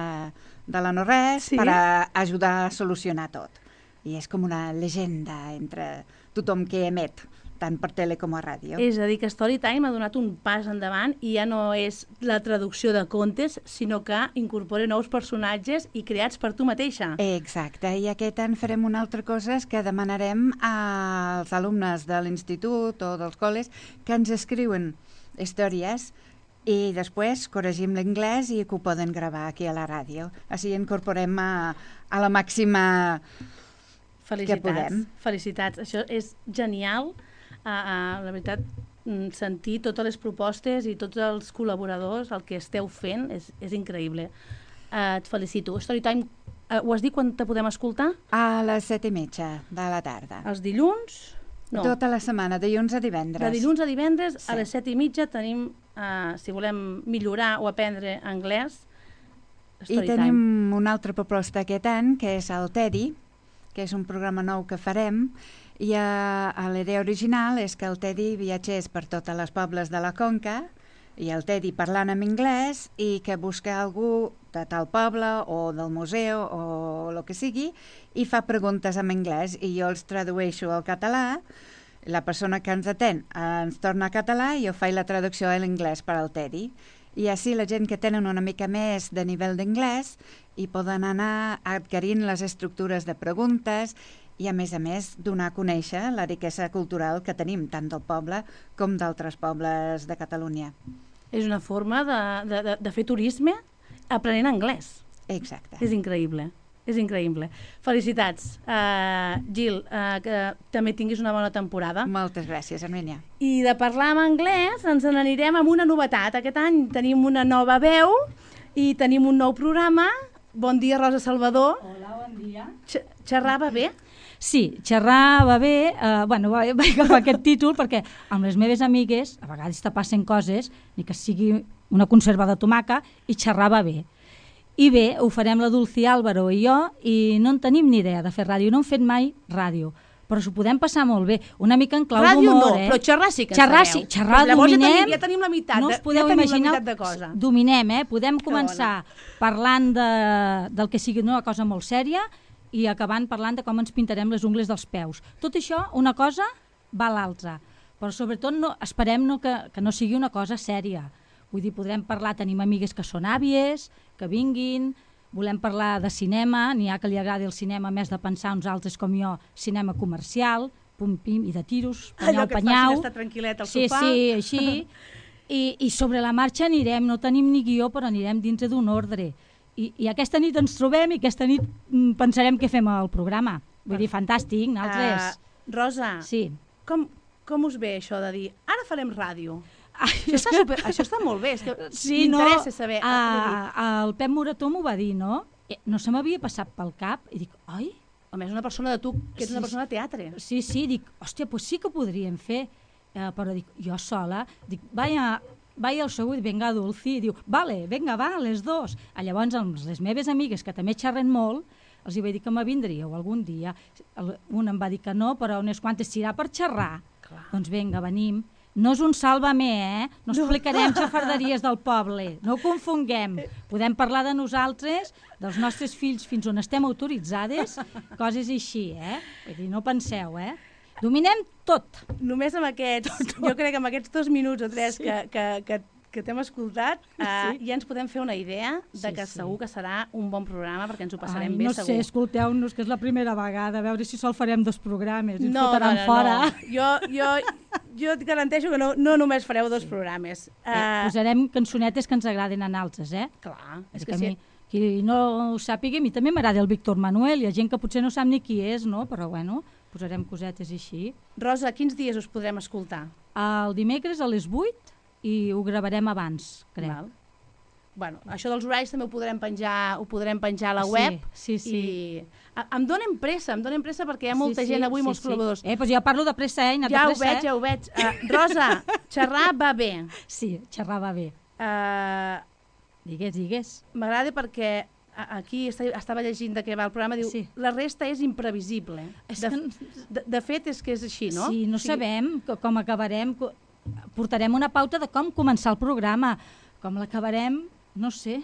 de la no-res sí? per a ajudar a solucionar tot. I és com una llegenda entre tothom que emet, tant per tele com a ràdio. És a dir, que Storytime ha donat un pas endavant i ja no és la traducció de contes, sinó que incorpora nous personatges i creats per tu mateixa. Exacte, i aquest any farem una altra cosa que demanarem als alumnes de l'institut o dels col·les que ens escriuen històries i després corregim l'anglès i que ho poden gravar aquí a la ràdio. Així incorporem a, a la màxima que podem. Felicitats, això és genial. Uh, uh, la veritat, sentir totes les propostes i tots els col·laboradors, el que esteu fent, és, és increïble. Uh, et felicito. Storytime, uh, ho has dit quan te podem escoltar? A les set i mitja de la tarda. Els dilluns? No. Tota la setmana, de dilluns a divendres. De dilluns a divendres, sí. A les set i mitja tenim, uh, si volem millorar o aprendre anglès, Storytime. I tenim una altra proposta aquest any, que és el Teddy, que és un programa nou que farem, i uh, l'idea original és que el Teddy viatgés per totes les pobles de la Conca i el Teddy parlant en anglès i que busca algú de tal poble o del museu o el que sigui i fa preguntes en anglès i jo els tradueixo al català, la persona que ens atén ens torna a català i jo faig la traducció a l'anglès per al Teddy. I així la gent que tenen una mica més de nivell d'anglès i poden anar adquirint les estructures de preguntes i, a més a més, donar a conèixer la riquesa cultural que tenim, tant del poble com d'altres pobles de Catalunya. És una forma de, de, de, de fer turisme aprenent anglès. Exacte. És increïble, és increïble. Felicitats, uh, Gil, uh, que també tinguis una bona temporada. Moltes gràcies, Armènia. I de parlar en anglès ens n'anirem amb una novetat. Aquest any tenim una nova veu i tenim un nou programa. Bon dia, Rosa Salvador. Hola, bon dia. X xerrava bé? Sí, xerrar va bé, eh, bueno, va, va agafar aquest títol perquè amb les meves amigues, a vegades te passen coses, ni que sigui una conserva de tomaca, i xerrar va bé. I bé, ho farem la Dulci Álvaro i jo, i no en tenim ni idea de fer ràdio, no hem fet mai ràdio, però s'ho podem passar molt bé, una mica en clau d'humor. Ràdio no, eh? però xerrar sí que xerrar, sabeu. Sí, xerrar doncs dominem, ja tenim, ja tenim la meitat, no us podeu ja imaginar, de cosa. Dominem, eh? Podem començar parlant de, del que sigui una cosa molt sèria, i acabant parlant de com ens pintarem les ungles dels peus. Tot això, una cosa va a l'altra, però sobretot no, esperem no, que, que no sigui una cosa sèria. Vull dir, podrem parlar, tenim amigues que són àvies, que vinguin, volem parlar de cinema, n'hi ha que li agradi el cinema més de pensar uns altres com jo, cinema comercial, pum-pim, i de tiros, panyau-panyau. Allò que et facin estar tranquil·let al sí, sofà. Sí, així. I, I sobre la marxa anirem, no tenim ni guió, però anirem dintre d'un ordre. I, i aquesta nit ens trobem i aquesta nit mm, pensarem què fem al programa. Vull dir, fantàstic, nosaltres... Uh, Rosa, sí. com, com us ve això de dir ara farem ràdio? Ai, això, està que... super, això està molt bé, és que sí, m'interessa no, saber. A, a, el Pep Morató m'ho va dir, no? No se m'havia passat pel cap i dic, oi? Home, és una persona de tu, que ets sí, una persona de teatre. Sí, sí, dic, hòstia, doncs sí que podríem fer, eh, però dic, jo sola, dic, vaya... Vaig al segur i venga Dulci, i diu, vale, venga, va, les dos. A llavors, amb les meves amigues, que també xerren molt, els hi vaig dir que me vindríeu algun dia. Un em va dir que no, però unes quantes s'irà per xerrar. Clar. Doncs vinga, venim. No és un sàlvame, eh? No explicarem xafarderies del poble, no ho confonguem. Podem parlar de nosaltres, dels nostres fills fins on estem autoritzades, coses així, eh? Vull dir, no penseu, eh? Dominem tot. Només amb aquests, tot, tot. Jo crec que amb aquests dos minuts o tres sí. que, que, que, que t'hem escoltat, uh, sí. ja ens podem fer una idea de sí, que sí. segur que serà un bon programa, perquè ens ho passarem Ai, bé, no segur. No sé, escolteu-nos, que és la primera vegada, a veure si sol farem dos programes i ens no, fotaran no, no, fora. No. Jo, jo, jo et garanteixo que no, no només fareu dos programes. Uh, eh, posarem cançonetes que ens agraden a altres, eh? Clar, és és que, que sí. Mi, qui no ho sàpiga, a mi també m'agrada el Víctor Manuel, hi ha gent que potser no sap ni qui és, no? Però bueno, posarem cosetes així. Rosa, quins dies us podrem escoltar? El dimecres a les vuit i ho gravarem abans, crec. Val. bueno, això dels horaris també ho podrem penjar, ho podrem penjar a la web. Sí, sí, sí. I em donen pressa, em donen pressa perquè hi ha molta sí, sí, gent avui, sí, molts sí. col·laboradors. Eh, doncs jo parlo de pressa, eh? Ja de ho pressa, veig, eh? ja ho veig. Uh, Rosa, xerrar va bé. Sí, xerrar va bé. Uh, digues, digues. M'agrada perquè aquí estava llegint de què va el programa, diu, sí. La resta és imprevisible. És de, que... de, de fet, és que és així, no? Sí, no o sigui... sabem com acabarem, portarem una pauta de com començar el programa, com l'acabarem, no sé,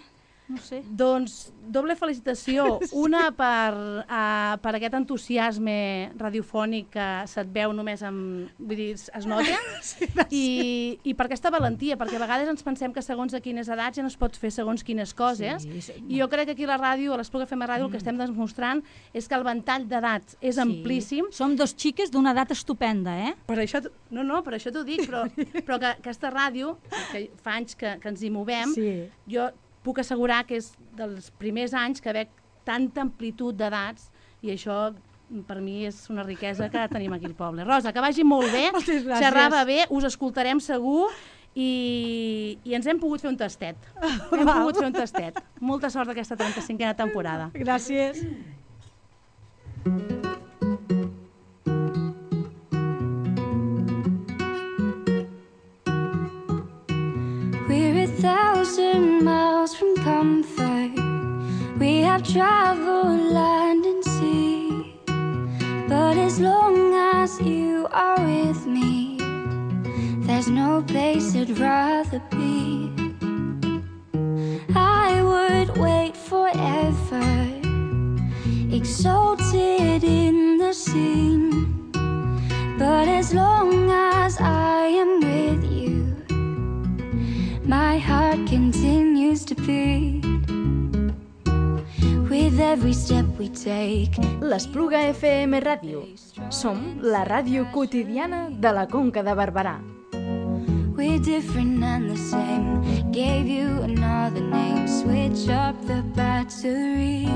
no sé. Doncs doble felicitació, una per, uh, per aquest entusiasme radiofònic que se't veu només amb, vull dir, es nota, sí, i, i per aquesta valentia, perquè a vegades ens pensem que segons a quines edats ja no es pot fer segons quines coses, sí, sí, i jo crec que aquí a la ràdio, a l'Espluga F M Ràdio, mm. el que estem demostrant és que el ventall d'edats és sí. amplíssim. Som dos xiques d'una edat estupenda, eh? Per això, no, no, per això t'ho dic, però, però que aquesta ràdio, que fa anys que, que ens hi movem, sí. jo puc assegurar que és dels primers anys que veig tanta amplitud d'edats i això per mi és una riquesa que tenim aquí al poble. Rosa, que vagi molt bé, xerrava bé, us escoltarem segur i, i ens hem pogut fer un tastet. Hem Val. pogut fer un tastet. Molta sort d'aquesta trenta-cinquena temporada. Gràcies. We're a thousand miles from comfort. We have traveled land and sea. But as long as you are with me, there's no place I'd rather be. I would wait forever, exalted in the scene. But as long as I am with you, my heart continues to beat. With every step we take. L'Espluga F M Ràdio. Som la ràdio quotidiana de la Conca de Barberà. We're different and the same. Gave you another name. Switch up the battery.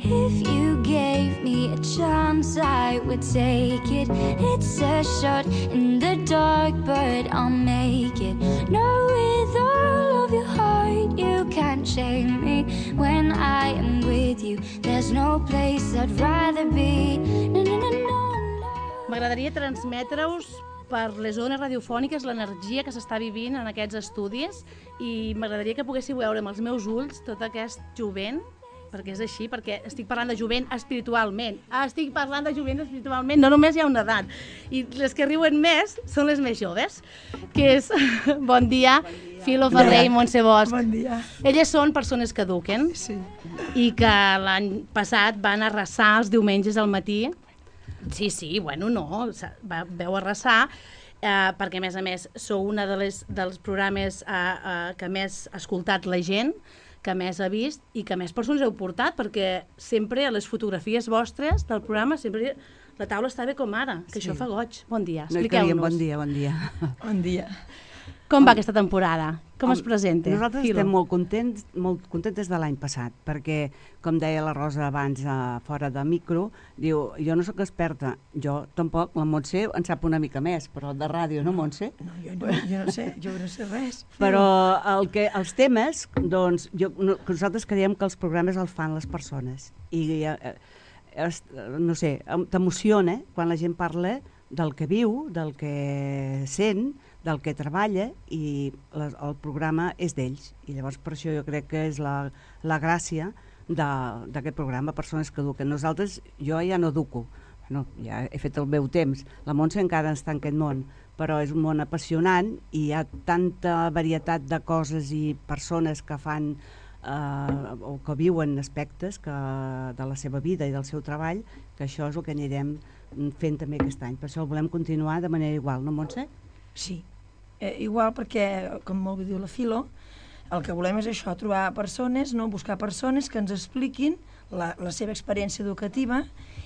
If you gave me a chance, I would take it. It's a shot in the dark, but I'll make it. No, with all of your heart, you can't shame me. When I am with you, there's no place I'd rather be. No, no, no, no, no. M'agradaria transmetre-us per les zones radiofòniques l'energia que s'està vivint en aquests estudis i m'agradaria que poguéssiu veure amb els meus ulls tot aquest jovent, perquè és així, perquè estic parlant de jovent espiritualment. Estic parlant de jovent espiritualment, no només hi ha una edat. I les que riuen més són les més joves, que és... Bon dia, bon dia. Filo Ferrer i Montse Bosch. Bon dia. Elles són persones que eduquen sí. i que l'any passat van arrasar els diumenges al matí. Sí, sí, bueno, no, va, veu arrasar, eh, perquè a més a més sou una de les, dels programes eh, eh, que més ha escoltat la gent, que més ha vist i que més persones heu portat, perquè sempre a les fotografies vostres del programa sempre la taula està bé com ara, que sí. Això fa goig. Bon dia, expliqueu-nos. No bon dia, bon dia. Bon dia. Com va aquesta temporada? Com es presenta? Nosaltres Filo. Estem molt contents, molt contentes de l'any passat, perquè, com deia la Rosa abans, uh, fora de micro, diu, jo no sóc experta, jo tampoc, la Montse en sap una mica més, però de ràdio, no, Montse? No, jo no, jo no sé, jo no sé res. Però el que, els temes, doncs, jo, no, nosaltres creiem que els programes els fan les persones, i eh, es, no sé, t'emociona quan la gent parla del que viu, del que sent, del que treballa, i les, el programa és d'ells. I llavors per això jo crec que és la, la gràcia d'aquest programa, persones que eduquen. Nosaltres, jo ja no educo, bueno, ja he fet el meu temps, la Montse encara està en aquest món, però és un món apassionant i hi ha tanta varietat de coses i persones que fan eh, o que viuen aspectes que, de la seva vida i del seu treball, que això és el que anirem fent també aquest any. Per això el volem continuar de manera igual, no, Montse? Sí, eh, igual perquè, com molt bé diu la Filo, el que volem és això, trobar persones, no? Buscar persones que ens expliquin la, la seva experiència educativa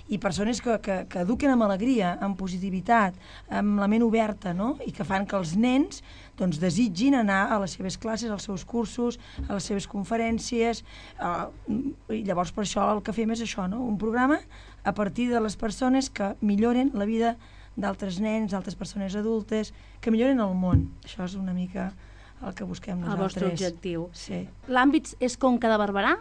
i persones que, que, que eduquen amb alegria, amb positivitat, amb la ment oberta, no? I que fan que els nens doncs, desitgin anar a les seves classes, als seus cursos, a les seves conferències, eh, i llavors per això el que fem és això, no? Un programa a partir de les persones que milloren la vida d'altres nens, d'altres persones adultes, que milloren el món. Això és una mica el que busquem El nosaltres. vostre objectiu. Sí. L'àmbit és Conca de Barberà?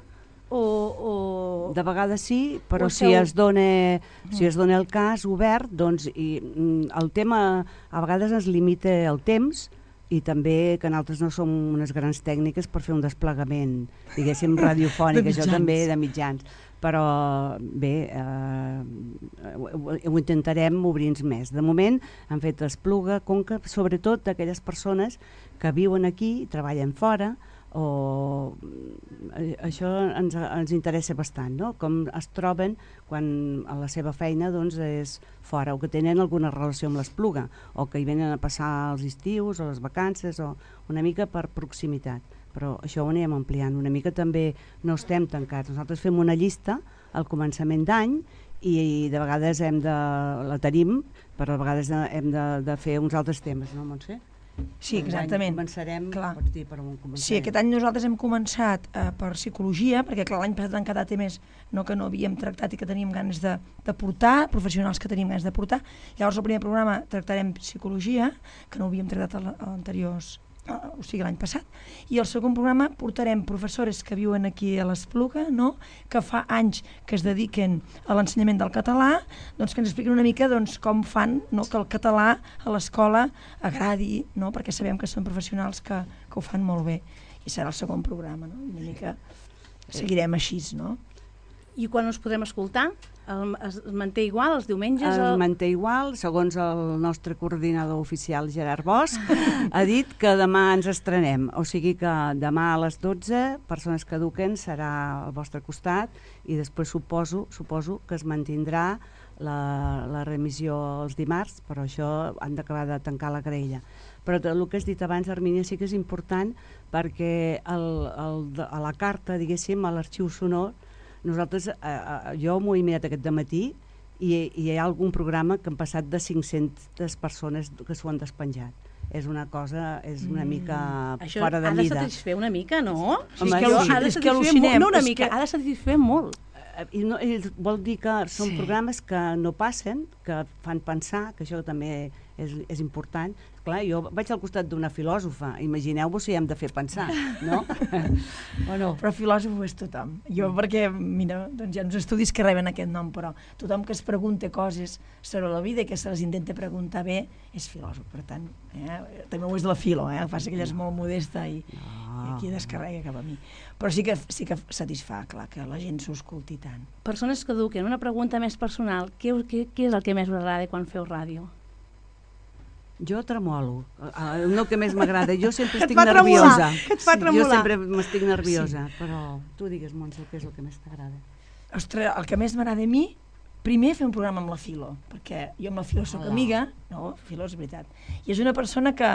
O, o... De vegades sí, però o si esteu- es dona, si es dona el cas obert, doncs i, mm, el tema a vegades ens limita el temps i també que nosaltres no som unes grans tècniques per fer un desplegament, diguéssim, radiofònic, De això mitjans. també de mitjans. Però bé, eh, ho, ho intentarem obrir-nos més. De moment han fet Espluga, Conca, sobretot d'aquelles persones que viuen aquí i treballen fora, o eh, això ens, ens interessa bastant, no? Com es troben quan a la seva feina doncs, és fora, o que tenen alguna relació amb l'Espluga, o que hi venen a passar els estius o les vacances, o una mica per proximitat. Però això ho anem ampliant. Una mica també no estem tancats. Nosaltres fem una llista al començament d'any i, i de vegades hem de, la tenim, però a vegades hem de, de fer uns altres temes, no, Montse? Sí, exactament. Començarem, clar. Pots dir per on començarem? Sí, aquest any nosaltres hem començat eh, per psicologia, perquè clar, l'any passat han quedat temes no, que no havíem tractat i que teníem ganes de, de portar, professionals que teníem ganes de portar. Llavors, el primer programa tractarem psicologia, que no ho havíem tractat a l'anteriors, o sigui l'any passat, i el segon programa portarem professores que viuen aquí a l'Espluga, no? Que fa anys que es dediquen a l'ensenyament del català, doncs que ens expliquen una mica doncs, com fan, no? Que el català a l'escola agradi, no? Perquè sabem que són professionals que, que ho fan molt bé, i serà el segon programa, no? Una mica seguirem així, no? I quan us podrem escoltar? El, es manté igual els diumenges? Es o... manté igual, segons el nostre coordinador oficial Gerard Bosch, ha dit que demà ens estrenem, o sigui que demà a les dotze, Persones que eduquen serà al vostre costat i després suposo, suposo que es mantindrà la, la remissió els dimarts, però això han d'acabar de tancar la graella. Però el que has dit abans, Armínia, sí que és important perquè el, el, a la carta, diguéssim, a l'arxiu sonor, nosaltres, eh, jo m'ho he mirat aquest dematí i, i hi ha algun programa que han passat de cinc-centes persones que s'ho han despenjat. És una cosa, és una mica mm, fora de mida. Això ha de satisfer una mica, no? Sí, és que, sí. ha de És que satisfer al·lucinem, molt, no una és mica, que- ha de satisfer molt. I, no, I vol dir que són Sí. programes que no passen, que fan pensar, que això també és, és important. Clar, jo vaig al costat d'una filòsofa, imagineu-vos si hem de fer pensar, no? O no? Però filòsof és tothom. Jo, perquè, mira, doncs hi ha uns estudis que reben aquest nom, però tothom que es pregunta coses sobre la vida i que se les intenta preguntar bé és filòsof, per tant, eh? També ho és de la filo, eh? El que passa que ella és molt modesta i, i aquí descarrega cap a mi. Però sí que, sí que satisfà, clar, que la gent s'ho escolti tant. Persones que eduquen, una pregunta més personal, què, què, què és el que més us agrada quan feu ràdio? Jo tremolo, el no que més m'agrada, jo sempre Que et estic fa tremolar, nerviosa. que et fa tremolar. Jo sempre m'estic nerviosa, sí. Però tu digues, Montse, què és el que més t'agrada? Ostres, el que més m'agrada a mi, primer fer un programa amb la Filo, perquè jo amb la Filo soc Hola. amiga, no, Filo és veritat, i és una persona que,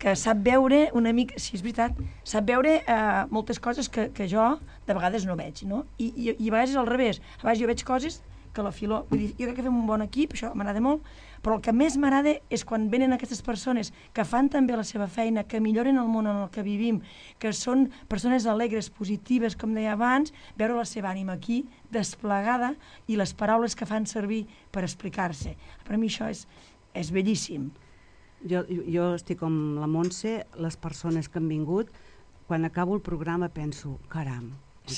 que sap veure una mica, sí, és veritat, sap veure eh, moltes coses que, que jo de vegades no veig, no? I, i, i a vegades és al revés, a vegades jo veig coses que la Filo, vull dir, jo crec que fem un bon equip, això m'agrada molt, però el que més m'agrada és quan venen aquestes persones que fan també la seva feina, que milloren el món en el que vivim, que són persones alegres, positives, com deia abans, veure la seva ànima aquí, desplegada, i les paraules que fan servir per explicar-se. Per a mi això és, és bellíssim. Jo, jo estic com la Montse, les persones que han vingut, quan acabo el programa penso, caram,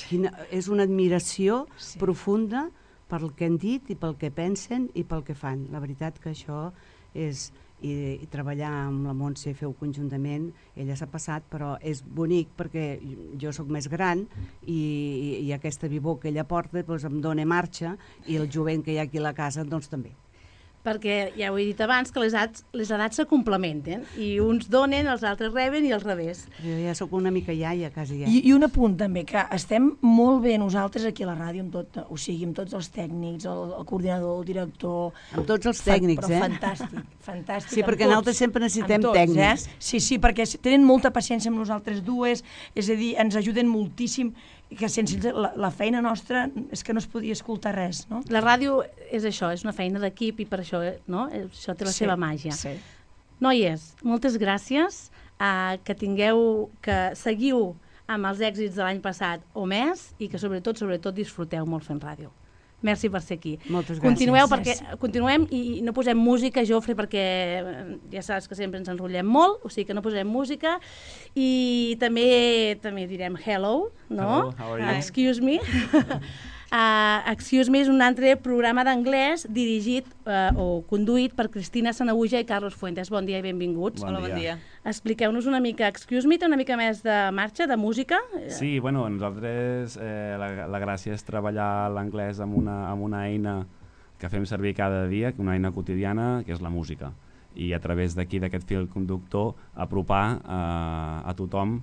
quina, és una admiració sí. profunda pel que han dit i pel que pensen i pel que fan. La veritat que això és, i, i treballar amb la Montse, feu conjuntament, ella s'ha passat, però és bonic perquè jo sóc més gran i, i, i aquesta vivor que ella porta doncs, em dona marxa i el jovent que hi ha aquí a la casa doncs també. Perquè ja ho he dit abans, que les edats, les edats se complementen i uns donen, els altres reben i al revés. Jo ja sóc una mica iaia, quasi ja. I, I un apunt també, que estem molt bé nosaltres aquí a la ràdio, amb tot, o sigui, amb tots els tècnics, el, el coordinador, el director... Amb tots els tècnics, fa, però eh? fantàstic, fantàstic. Sí, perquè nosaltres sempre necessitem tots, tècnics. Eh? Sí, sí, perquè tenen molta paciència amb nosaltres dues, és a dir, ens ajuden moltíssim, que sense la, la feina nostra és que no es podia escoltar res, no? La ràdio és això, és una feina d'equip i per això, no? Això té la Sí, seva màgia. sí. Noies, moltes gràcies, uh, que tingueu, que seguiu amb els èxits de l'any passat o més i que sobretot, sobretot disfruteu molt fent ràdio. Merci per ser aquí. Moltes gràcies. Continueu perquè, continuem i no posem música, Jofre, perquè ja saps que sempre ens enrotllem molt, o sigui que no posem música. I també també direm hello, no? Hello, how are you? Excuse me. Uh, Excuse Me és un altre programa d'anglès dirigit uh, o conduït per Cristina Sanaüja i Carlos Fuentes. Bon dia i benvinguts. Bon Hola, bon dia. Expliqueu-nos una mica. Excuse Me té una mica més de marxa, de música? Sí, bueno, nosaltres eh, la, la gràcia és treballar l'anglès amb una, amb una eina que fem servir cada dia, una eina quotidiana, que és la música. I a través d'aquí, d'aquest fil conductor, apropar eh, a tothom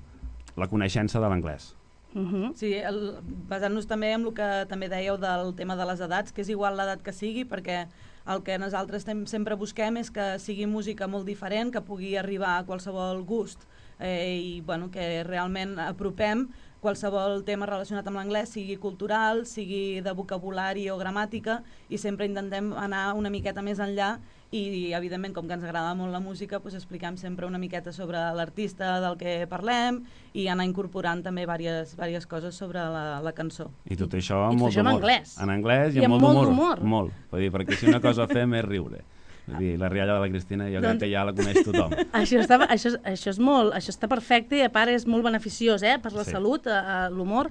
la coneixença de l'anglès. Uh -huh. Sí, el, basant-nos també en el que també dèieu del tema de les edats, que és igual l'edat que sigui, perquè el que nosaltres sempre busquem és que sigui música molt diferent, que pugui arribar a qualsevol gust eh, i bueno, que realment apropem qualsevol tema relacionat amb l'anglès, sigui cultural, sigui de vocabulari o gramàtica, i sempre intentem anar una miqueta més enllà i, evidentment, com que ens agrada molt la música, doncs expliquem sempre una miqueta sobre l'artista del que parlem i anar incorporant també diverses, diverses coses sobre la, la cançó. I tot això I amb molt d'humor. En anglès. En anglès i, I amb amb molt d'humor. Molt. Vull dir, perquè si una cosa fem és riure. Vull dir, la rialla de la Cristina jo doncs, crec que ja la coneix tothom. Això està, això, això, és molt, això està perfecte i a part és molt beneficiós eh, per la sí. salut, l'humor.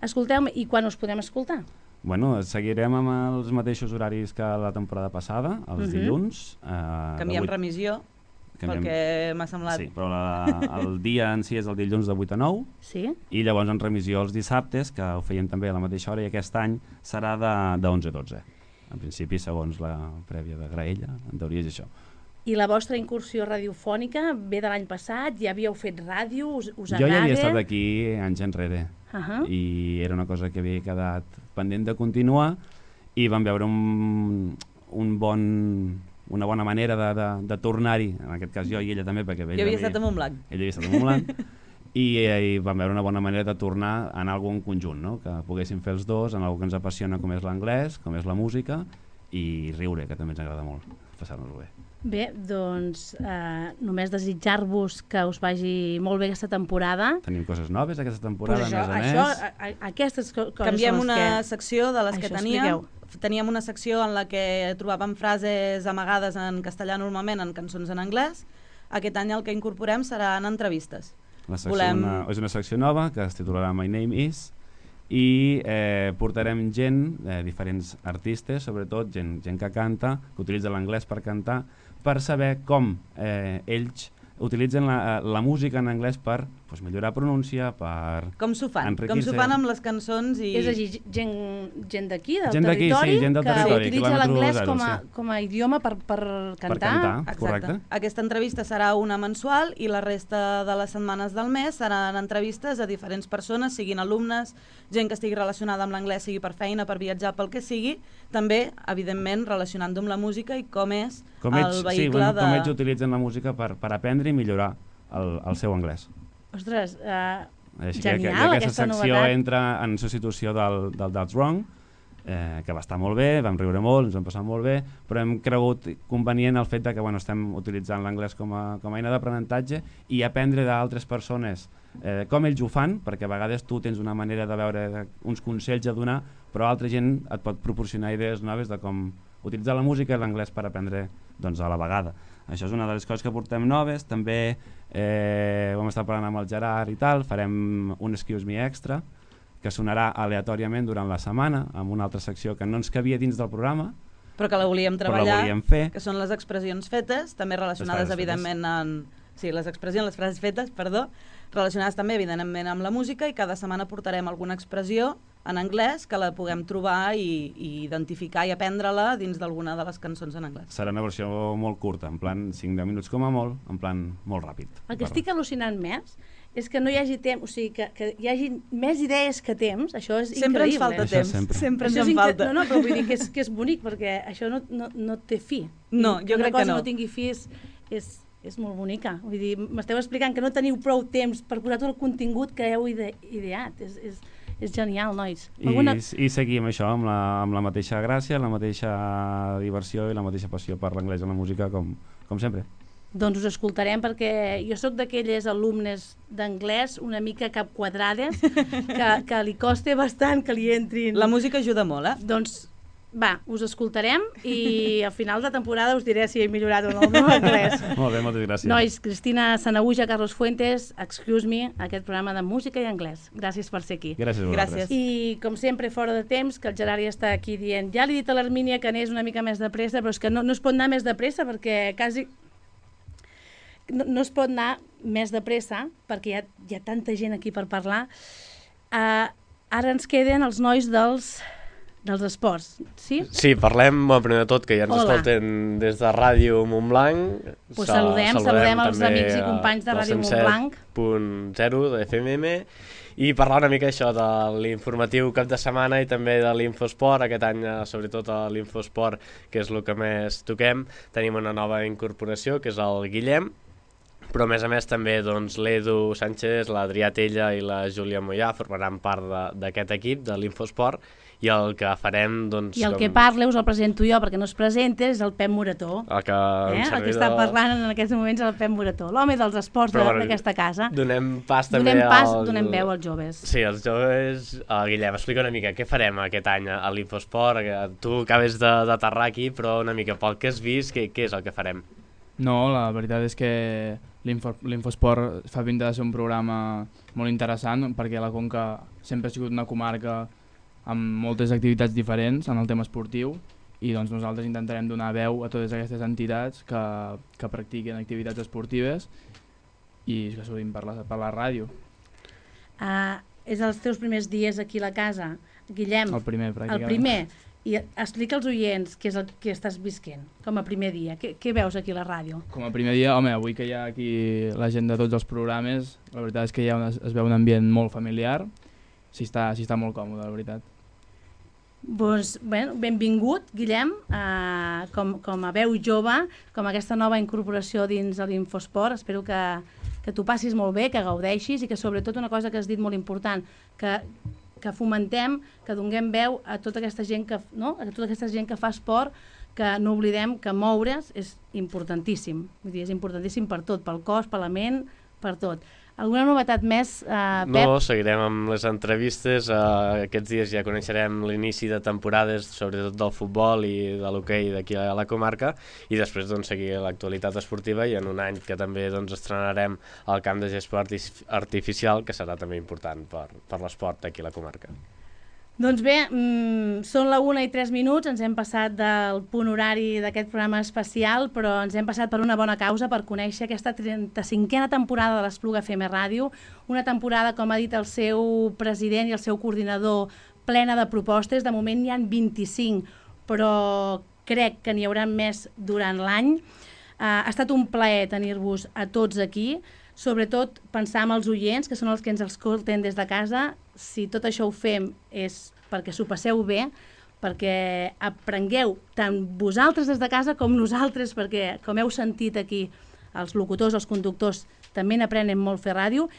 Escolteu, i quan us podem escoltar? Bueno, seguirem amb els mateixos horaris que la temporada passada, els uh-huh. dilluns. Eh, Canviem vuit... remissió, Canviem... perquè m'ha semblat... Sí, però la, el dia en si és el dilluns de vuit a nou, sí. i llavors en remissió els dissabtes, que ho fèiem també a la mateixa hora, i aquest any serà de, de onze a dotze. En principi, segons la prèvia de Graella, en teoria és això. I la vostra incursió radiofònica ve de l'any passat? Ja havíeu fet ràdio? Us, us jo ja havia estat aquí anys enrere, uh -huh. i era una cosa que havia quedat pendent de continuar, i vam veure un, un bon, una bona manera de, de, de tornar-hi, en aquest cas jo i ella també, perquè... Jo havia estat a Montblanc. Ella havia estat a Montblanc, i, i vam veure una bona manera de tornar en algun conjunt, no? Que poguéssim fer els dos en algo que ens apassiona, com és l'anglès, com és la música, i riure, que també ens agrada molt, passar-nos-ho bé. Bé, doncs eh, només desitjar-vos que us vagi molt bé aquesta temporada. Tenim coses noves aquesta temporada, pues això, a més a això, més. A, a, aquestes co coses Canviem són les una que... secció de les això, que teníem. Expliqueu. Teníem una secció en la que trobàvem frases amagades en castellà normalment en cançons en anglès. Aquest any el que incorporem seran entrevistes. La secció Volem... una, és una secció nova que es titularà My Name Is, i eh, portarem gent, eh, diferents artistes, sobretot gent, gent que canta, que utilitza l'anglès per cantar, per saber com eh, ells utilitzen la, la música en anglès per pues, millorar pronúncia, per com s'ho fan, com s'ho fan amb les cançons i... És a dir, gent, gent d'aquí, del gent territori, sí, gent del que territori, utilitza l'anglès com, a, sí. com a idioma per, per cantar. Per cantar, exacte. Correcte. Aquesta entrevista serà una mensual i la resta de les setmanes del mes seran entrevistes a diferents persones, siguin alumnes, gent que estigui relacionada amb l'anglès, sigui per feina, per viatjar, pel que sigui, també, evidentment, relacionant-ho amb la música i com és com el ells, vehicle sí, bueno, de... com ells utilitzen la música per, per aprendre i millorar el, el seu anglès. Ostres, uh, Així genial, que, que aquesta aquesta secció novetat. entra en substitució del, del That's Wrong, eh, que va estar molt bé, vam riure molt, ens vam passar molt bé, però hem cregut convenient el fet de que bueno, estem utilitzant l'anglès com, a, com a eina d'aprenentatge i aprendre d'altres persones eh, com ells ho fan, perquè a vegades tu tens una manera de veure uns consells a donar, però altra gent et pot proporcionar idees noves de com utilitzar la música i l'anglès per aprendre doncs, a la vegada. Això és una de les coses que portem noves. També eh, vam estar parlant amb el Gerard i tal, farem un Excuse Me extra que sonarà aleatòriament durant la setmana amb una altra secció que no ens cabia dins del programa, però que la volíem treballar, la volíem fer. Que són les expressions fetes, també relacionades evidentment amb... Sí, les expressions, les frases fetes, perdó, relacionades també evidentment amb la música, i cada setmana portarem alguna expressió en anglès que la puguem trobar i, i identificar i aprendre-la dins d'alguna de les cançons en anglès. Serà una versió molt curta, en plan cinc deu minuts com a molt, en plan molt ràpid. El que estic al·lucinant més és que no hi hagi temps, o sigui, que, que hi hagi més idees que temps, això és sempre increïble. Ens falta eh? temps, sempre, sempre ens això en falta. No, no, però vull dir que és, que és bonic, perquè això no, no, no té fi. No, jo crec que no. Una cosa no tingui fi és, és, és molt bonica. Vull dir, m'esteu explicant que no teniu prou temps per posar tot el contingut que heu ide ideat. És, és, és genial, nois. Alguna... I, I seguim això amb la, amb la mateixa gràcia, la mateixa diversió i la mateixa passió per l'anglès i la música, com, com sempre. Doncs us escoltarem, perquè jo sóc d'aquelles alumnes d'anglès una mica capquadrades, que, que li costa bastant que li entrin... La música ajuda molt, eh? Doncs Va, us escoltarem i al final de temporada us diré si he millorat o no el meu anglès. Molt bé, moltes gràcies. Nois, Cristina Sanahuja, Carlos Fuentes, Excuse Me, aquest programa de música i anglès. Gràcies per ser aquí. Gràcies a vosaltres. I, com sempre, fora de temps, que el Gerard ja està aquí dient ja li he dit a l'Hermínia que anés una mica més de pressa, però és que no, no es pot anar més de pressa perquè quasi... No, no es pot anar més de pressa perquè hi ha, hi ha tanta gent aquí per parlar. Uh, ara ens queden els nois dels... dels esports, sí? Sí, parlem, bueno, primer de tot, que ja ens Hola. escolten des de Ràdio Montblanc. Pues saludem, saludem, saludem els amics i companys de Ràdio Montblanc. punt zero de F M M i parlar una mica això de l'informatiu cap de setmana i també de l'Infosport. Aquest any, sobretot a l'Infosport, que és el que més toquem, tenim una nova incorporació, que és el Guillem, però a més a més també doncs, l'Edu Sánchez, l'Adrià Tella i la Júlia Mollà formaran part d'aquest equip de l'Infosport i el que farem... Doncs, I el com... que parla us el presento jo perquè no es presenta, és el Pep Morató. El que, eh? el que està parlant en aquests moments és el Pep Morató, l'home dels esports d'aquesta casa. Donem pas també donem pas, al... donem veu als joves. Sí, als joves. Uh, Guillem, explica una mica què farem aquest any a l'Infosport. Tu acabes d'aterrar aquí, però una mica pel que has vist, què, què és el que farem? No, la veritat és que l'Infosport fa pinta de ser un programa molt interessant perquè la Conca sempre ha sigut una comarca amb moltes activitats diferents en el tema esportiu i doncs nosaltres intentarem donar veu a totes aquestes entitats que, que practiquen activitats esportives i que surtin per la, per la ràdio. Uh, és els teus primers dies aquí a la casa, Guillem? El primer, pràcticament. El primer. I explica als oients què és el que estàs visquent com a primer dia. Què, què veus aquí a la ràdio? Com a primer dia, home, avui que hi ha aquí la gent de tots els programes, la veritat és que hi ha una, es veu un ambient molt familiar, s'hi està, s'hi està molt còmode, la veritat. Doncs, bueno, benvingut, Guillem, uh, com, com a veu jove, com a aquesta nova incorporació dins de l'Infosport. Espero que, que t'ho passis molt bé, que gaudeixis i que sobretot una cosa que has dit molt important, que, que fomentem, que donem veu a tota aquesta gent que, no? a tota aquesta gent que fa esport, que no oblidem que moure's és importantíssim. Vull dir, és importantíssim per tot, pel cos, per la ment, per tot. Alguna novetat més, uh, Pep? No, seguirem amb les entrevistes. Uh, aquests dies ja coneixerem l'inici de temporades, sobretot del futbol i de l'hoquei d'aquí a la comarca, i després doncs, seguir l'actualitat esportiva i en un any que també doncs, estrenarem el camp de gespa artificial, que serà també important per, per l'esport aquí a la comarca. Doncs bé, mmm, són la una i tres minuts, ens hem passat del punt horari d'aquest programa especial, però ens hem passat per una bona causa, per conèixer aquesta trenta-cinquena temporada de l'Espluga F M Ràdio, una temporada, com ha dit el seu president i el seu coordinador, plena de propostes. De moment n'hi ha vint-i-cinc, però crec que n'hi haurà més durant l'any. Uh, ha estat un plaer tenir-vos a tots aquí, sobretot pensar en els oients, que són els que ens escolten des de casa. Si tot això ho fem és perquè s'ho passeu bé, perquè aprengueu tant vosaltres des de casa com nosaltres, perquè, com heu sentit aquí, els locutors, els conductors, també n'aprenen molt fer ràdio,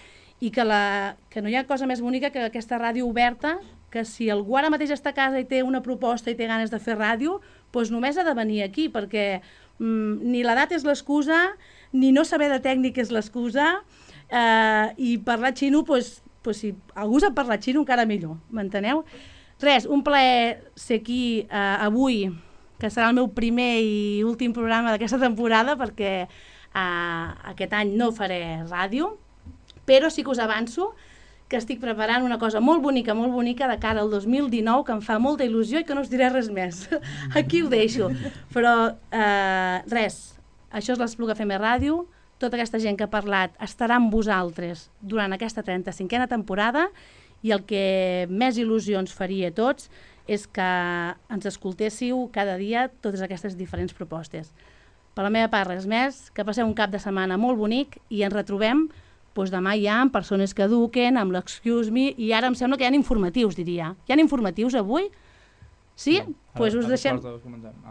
i que, la, que no hi ha cosa més bonica que aquesta ràdio oberta, que si algú ara mateix està a casa i té una proposta i té ganes de fer ràdio, doncs només ha de venir aquí, perquè mm, ni l'edat és l'excusa, ni no saber de tècnic és l'excusa, eh, i parlar xino, doncs, pues si algú sap parlar xino encara millor, m'enteneu? Res, un plaer ser aquí eh, avui, que serà el meu primer i últim programa d'aquesta temporada, perquè eh, aquest any no faré ràdio, però sí que us avanço que estic preparant una cosa molt bonica, molt bonica de cara al dos mil dinou, que em fa molta il·lusió i que no us diré res més. Aquí ho deixo. Però eh, res, això és l'Espluga F M Ràdio. Tota aquesta gent que ha parlat estarà amb vosaltres durant aquesta trenta-cinquena temporada, i el que més il·lusió ens faria a tots és que ens escoltéssiu cada dia totes aquestes diferents propostes. Per la meva part, res més, que passeu un cap de setmana molt bonic i ens retrobem doncs demà ja amb persones que eduquen, amb l'Excuse Me, i ara em sembla que hi ha informatius, diria. Hi ha informatius avui? Sí? Doncs no, pues us deixem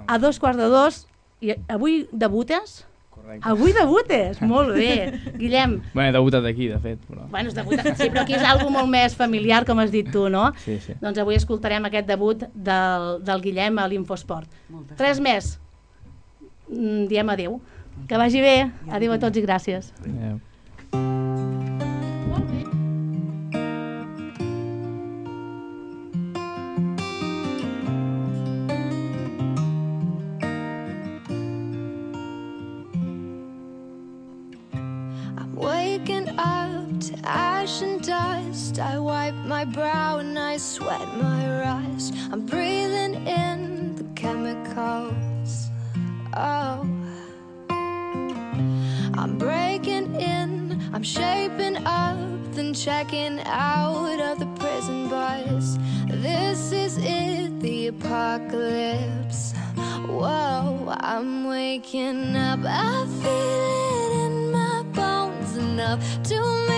a dos quarts de dos. I avui debutes? Correcte. Avui debutes? Molt bé. Guillem. Bé, he debutat aquí, de fet. Però... Bueno, és debutat, sí, però aquí és algo molt més familiar, com has dit tu, no? Sí, sí. Doncs avui escoltarem aquest debut del, del Guillem a l'Infosport. Res més. Diem adéu. Que vagi bé. Adéu a tots i gràcies. Adéu. I wipe my brow and I sweat my rise. I'm breathing in the chemicals. Oh, I'm breaking in, I'm shaping up, then checking out of the prison bus. This is it, the apocalypse. Whoa, I'm waking up, I feel it in my bones enough to